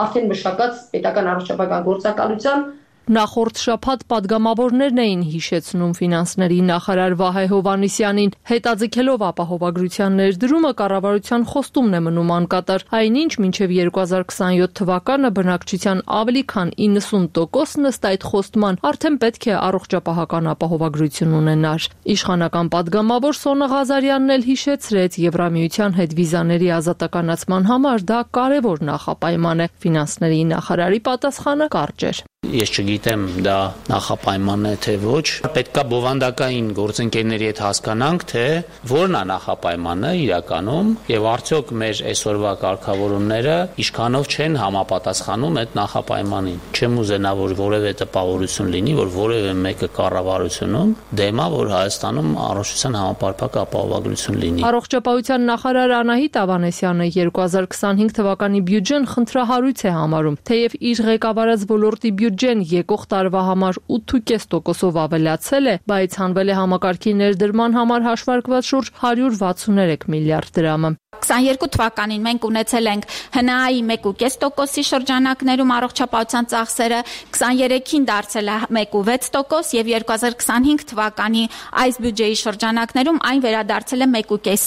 արդեն մշակած պետական առողջապահական գործակալության Նախորդ շաբաթ падգամավորներն էին հիշեցնում ֆինանսների նախարար Վահե Հովհաննիսյանին, հետաձգելով ապահովագրության ներդրումը կառավարության խոստումն է մնում անկատար, այնինչ մինչև երկու հազար քսանյոթ թվականը բնակչության ավելի քան իննսուն տոկոսն ըստ այդ խոստման արդեն պետք է առողջապահական ապահովագրություն ունենար։ Իշխանական падգամավոր Սոնա Ղազարյանն էլ հիշեցրեց Եվրամիության հետ վիզաների ազատականացման համար դա կարևոր նախապայման է։ Ֆինանսների նախարարի պատասխանը կարճ էր։ Ես չգիտեմ դա նախապայման է թե ոչ, պետքա բովանդակային գործընկերների հետ հասկանանք, թե որն է նախապայմանը իրականում եւ արդյոք մեր այսօրվա կարգավորումները ինչքանով չեն համապատասխանում այդ նախապայմանին։ Չեմ ուզենա, որ որևէ տպավորություն լինի, որ որևէ մեկը կառավարությունում դեմա, որ Հայաստանում առողջության համապարփակ ապահովագրություն լինի։ Առողջապահության նախարար Անահիտ Ավանեսյանը երկու հազար քսանհինգ թվականի բյուջեն խնդրահարույց է համարում, թեև իր ղեկավարած ոլորտի բյուջեն եկող տարվա համար ութ կόμμα պենս տոկոսով ավելացել է, բայց հանվել է համակարգի ներդրման համար հաշվարկված շուրջ հարյուր վաթսուներեք միլիարդ դրամը։ քսաներկու թվականին մենք ունեցել ենք Հ Ն Ա-ի մեկ կόμma պենս տոկոսի շրջանակներում առողջապահության ծախսերը, քսաներեքին դարձել է մեկ կόμma վեց տոկոս եւ երկու հազար քսանհինգ թվականի այս բյուջեի շրջանակներում այն վերադարձել է մեկ կόμma պենս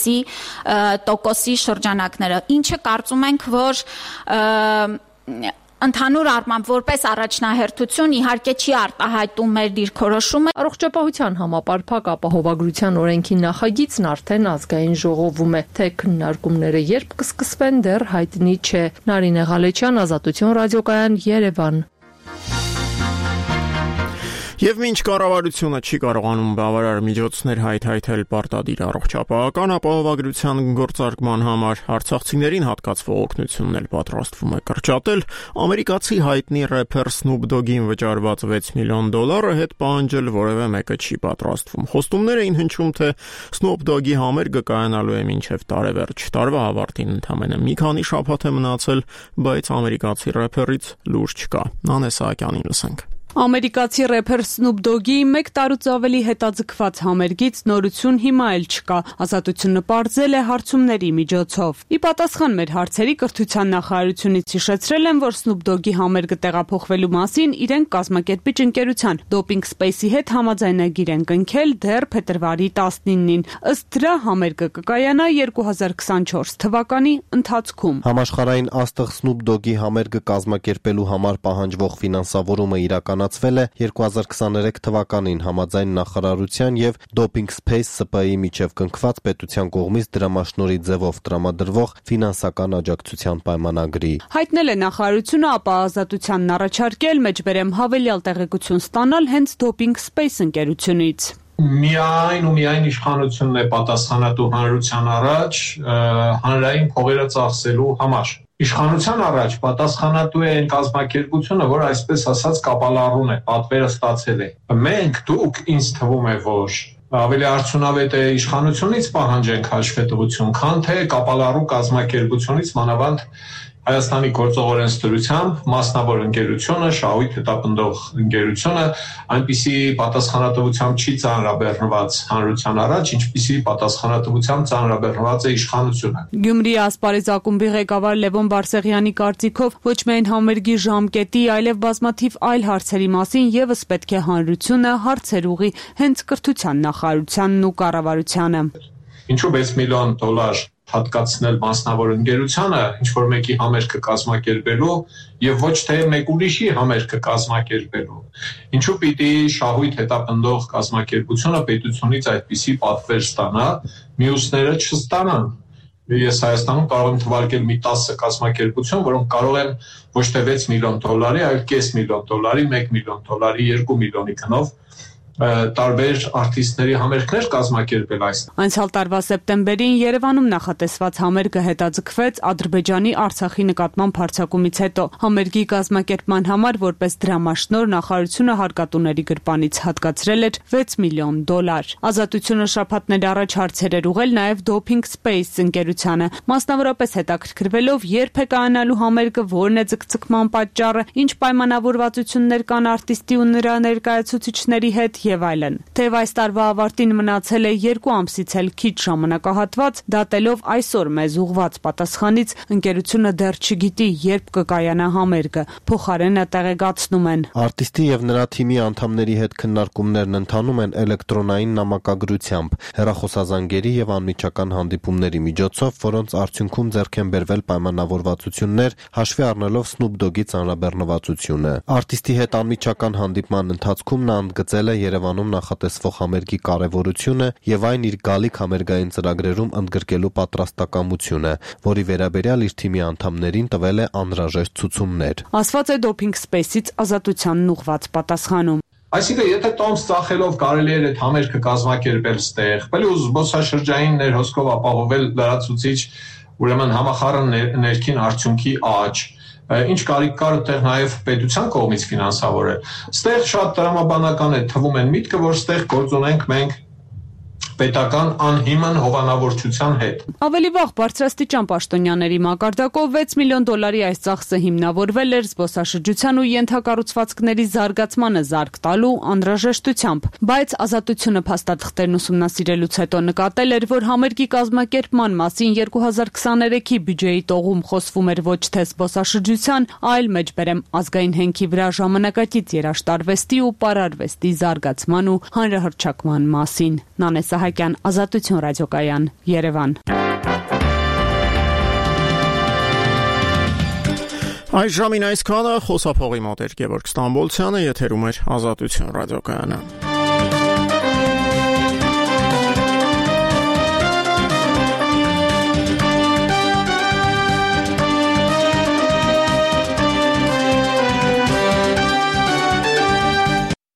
տոկոսի շրջանակները, ինչը կարծում ենք, որ Ընդհանուր առմամբ որպես առաջնահերթություն իհարկե չի արտահայտում մեր դիրքորոշումը։ Առողջապահության համապարփակ ապահովագրության օրենքի նախագիծն արդեն ազգային ժողովում է, թե քննարկումները երբ կսկսվեն դեռ հայտնի չէ։ Նարինե Ղալեչյան, Ազատություն ռադիոկայան, Երևան։ Եվ մինչ կառավարությունը չի կարողանում բավարար միջոցներ հայթայթել պարտադիր առողջապահական ապահովագրության գործարկման համար, արցախցիներին հատկացվող օգնությունն էլ պատրաստվում է կրճատել, ամերիկացի հայտնի рэփեր Snoop Dogg-ին վճարված վեց միլիոն դոլարը հետ պահանջել որևէ մեկը չի պատրաստվում։ Խոստումներ էին հնչում, թե Snoop Dogg-ի համերգը կայանալու է մինչև տարեվերջ։ Տարվա ավարտին ընդամենը մի քանի շաբաթ է մնացել, բայց ամերիկացի рэփերից լուրջ չկա։ Նանե Սահակյանին լսենք։ Ամերիկացի рэփեր Snoop Dogg-ի մեկ տարուց ավելի հետաձգված համերգից նորություն հիմա էլ չկա։ Ազատությունը պարզել է հարցումների միջոցով։ Ի պատասխան մեր հարցերի կրթության նախարարությունից հիշեցրել են, որ Snoop Dogg-ի համերգը տեղափոխվելու մասին իրենք կազմակերպիչ ընկերության Doping Space-ի հետ համաձայնագիր են կնքել դեռ փետրվարի տասնինին։ Ըստ դրա համերգը կկայանա երկու հազար քսանչորս թվականի ընթացքում։ Համաշխարհային աստղ Snoop Dogg-ի համերգը կազմակերպելու համար պահանջվող ֆինանսավորումը իրական ել է երկու հազար քսաներեք թվականին համաձայն նախարարության եւ Doping Space Սպ Ի միջև կնքված պետության կողմից դրամաշնորհի ձևով տրամադրվող ֆինանսական աջակցության պայմանագրի։ Հայտնել է նախարարությունը, ապա ազատությանն առաջարկել մեջբերեմ հավելյալ տեղեկություն ստանալ հենց Doping Space ընկերությունից։ Միայն ու միայն իշխանությունն է պատասխանատու հանրության առաջ հանրային փողերը ծախսելու համար։ Իշխանության առաջ պատասխանատու է այն կազմակերպությունը, որ այսպես ասած կապալառուն է, պատվերը ստացել է։ Մենք դուք ինձ թվում է, որ ավելի արդյունավետ է իշխանությունից պահանջենք հաշվետվություն, քան թե կապալառու կազմակերպությունից, մանավանդ Հայաստանի գործող օրենսդրությամբ մասնավոր ընկերությունը, շահույթ հետապնդող ընկերությունը այնպիսի պատասխանատվությամբ չի ծանրաբեռնված հանրության առաջ, ինչպիսի պատասխանատվությամբ ծանրաբեռնված է իշխանությունը։ Գյումրի ասպարեզ ակումբի ղեկավար Լևոն Բարսեղյանի կարծիքով ոչ միայն համերգի ժամկետի, այլև բազմաթիվ այլ հարցերի մասին եւս պետք է հանրությունը հարցեր ուղի հենց կրթության նախարարությանն ու կառավարությանը։ Ինչու վեց միլիոն դոլար հատկացնել մասնավոր ընկերությանը, ինչ որ մեկի համերգը կազմակերպելու եւ ոչ թե մեկ ուրիշի համերգը կազմակերպելու։ Ինչու պիտի շահույթ հետապնդող կազմակերպությունը պետությունից այդպիսի պատվեր ստանա, մյուսները չստանան։ Ես Հայաստանում կարող եմ թվարկել մի տասը կազմակերպություն, որոնք կարող են ոչ թե վեց միլիոն դոլարի, այլ կես միլիոն դոլարի, մեկ միլիոն դոլարի, երկու միլիոնի գնով տարբեր արտիստների համերգներ կազմակերպել այս։ Անցյալ տարվա սեպտեմբերին Երևանում նախատեսված համերգը հետաձգվեց Ադրբեջանի Արցախի նկատմամբ հարձակումից հետո։ Համերգի կազմակերպման համար որպես դրամաշնոր նախարարությունը հարկատուների գրպանից հատկացրել էր վեց միլիոն դոլար։ Ազատությունը շաբաթներ առաջ հարցեր էր ուղղել նաև Doping Space ընկերությանը, մասնավորապես հետաքրքրվելով երբ է կայանալու համերգը, որն է ձգձգման պատճառը, ինչ պայմանավորվածություններ կան արտիստի ու նրա ներկայացուցիչների հետ եւ այլն։ Թեև այս տարվա ավարտին մնացել է երկու ամսից էլ քիչ ժամանակահատված, դատելով այսօր մեզ ուղված պատասխանից, ընկերությունը դեռ չգիտի, երբ կկայանա համերգը, փոխարենը տեղեկացնում են. Արտիստի եւ նրա թիմի անդամների հետ քննարկումներն ընթանում են էլեկտրոնային նամակագրությամբ, հեռախոսազանգերի եւ անմիջական հանդիպումների միջոցով, որոնց արդյունքում ձեռք են բերվել պայմանավորվածություններ, հաշվի առնելով Snoop Dogg-ի ծանրաբեռնվածությունը։ Արտիստի հետ անմիջական հանդիպման ընթացքում նա ընդգծել է Երևանում նախատեսվող համերգի կարևորությունը եւ այն իր գալիք համերգային ծրագրերում ընդգրկելու պատրաստակամությունը, որի վերաբերյալ իր թիմի անդամներին տվել է անհրաժեշտ ցուցումներ։ Ասված է Doping Space-ից ազատությանն ուղված պատասխանում։ Այսինքն, եթե տոմս ծախելով կարելի էր այդ համերգը կազմակերպել ստեղ, պլյուս զբոսաշրջային ներհոսքով ապահովել լրացուցիչ, ուրեմն համախառն ներքին արդյունքի աճ, ինչ կարիք կար այդտեղ նաև պետության կողմից ֆինանսավորել։ Ստեղ շատ տրամաբանական է թվում են միտքը, որ ստեղ գործունենք մենք պետական անհիմն հովանավորչության հետ։ Ավելի վաղ բարձրաստիճան պաշտոնյաների մակարդակով վեց միլիոն դոլարի այս ծախսը հիմնավորվել էր զբոսաշրջության ու ենթակառուցվածքների զարգացմանը զարկ տալու անհրաժեշտությամբ, բայց ազատությունը փաստաթղթերն ուսումնասիրելուց հետո նկատել էր, որ համերգի կազմակերպման մասին երկու հազար քսաներեքի բյուջեի տողում խոսվում էր ոչ թե զբոսաշրջության, այլ մեջբերեմ ազգային հենքի վրա ժամանակակից երաշտարվեստի ու պարարվեստի զարգացման ու հանրահռչակման մասին։ Նանե Սահակյան, Ազատություն ռադիոկայան, Երևան։ Այս ժամին այսքանը, խոսափողի մոտ էր Գևորգ Ստամբոլցյանը, եթերում էր Ազատություն ռադիոկայանը։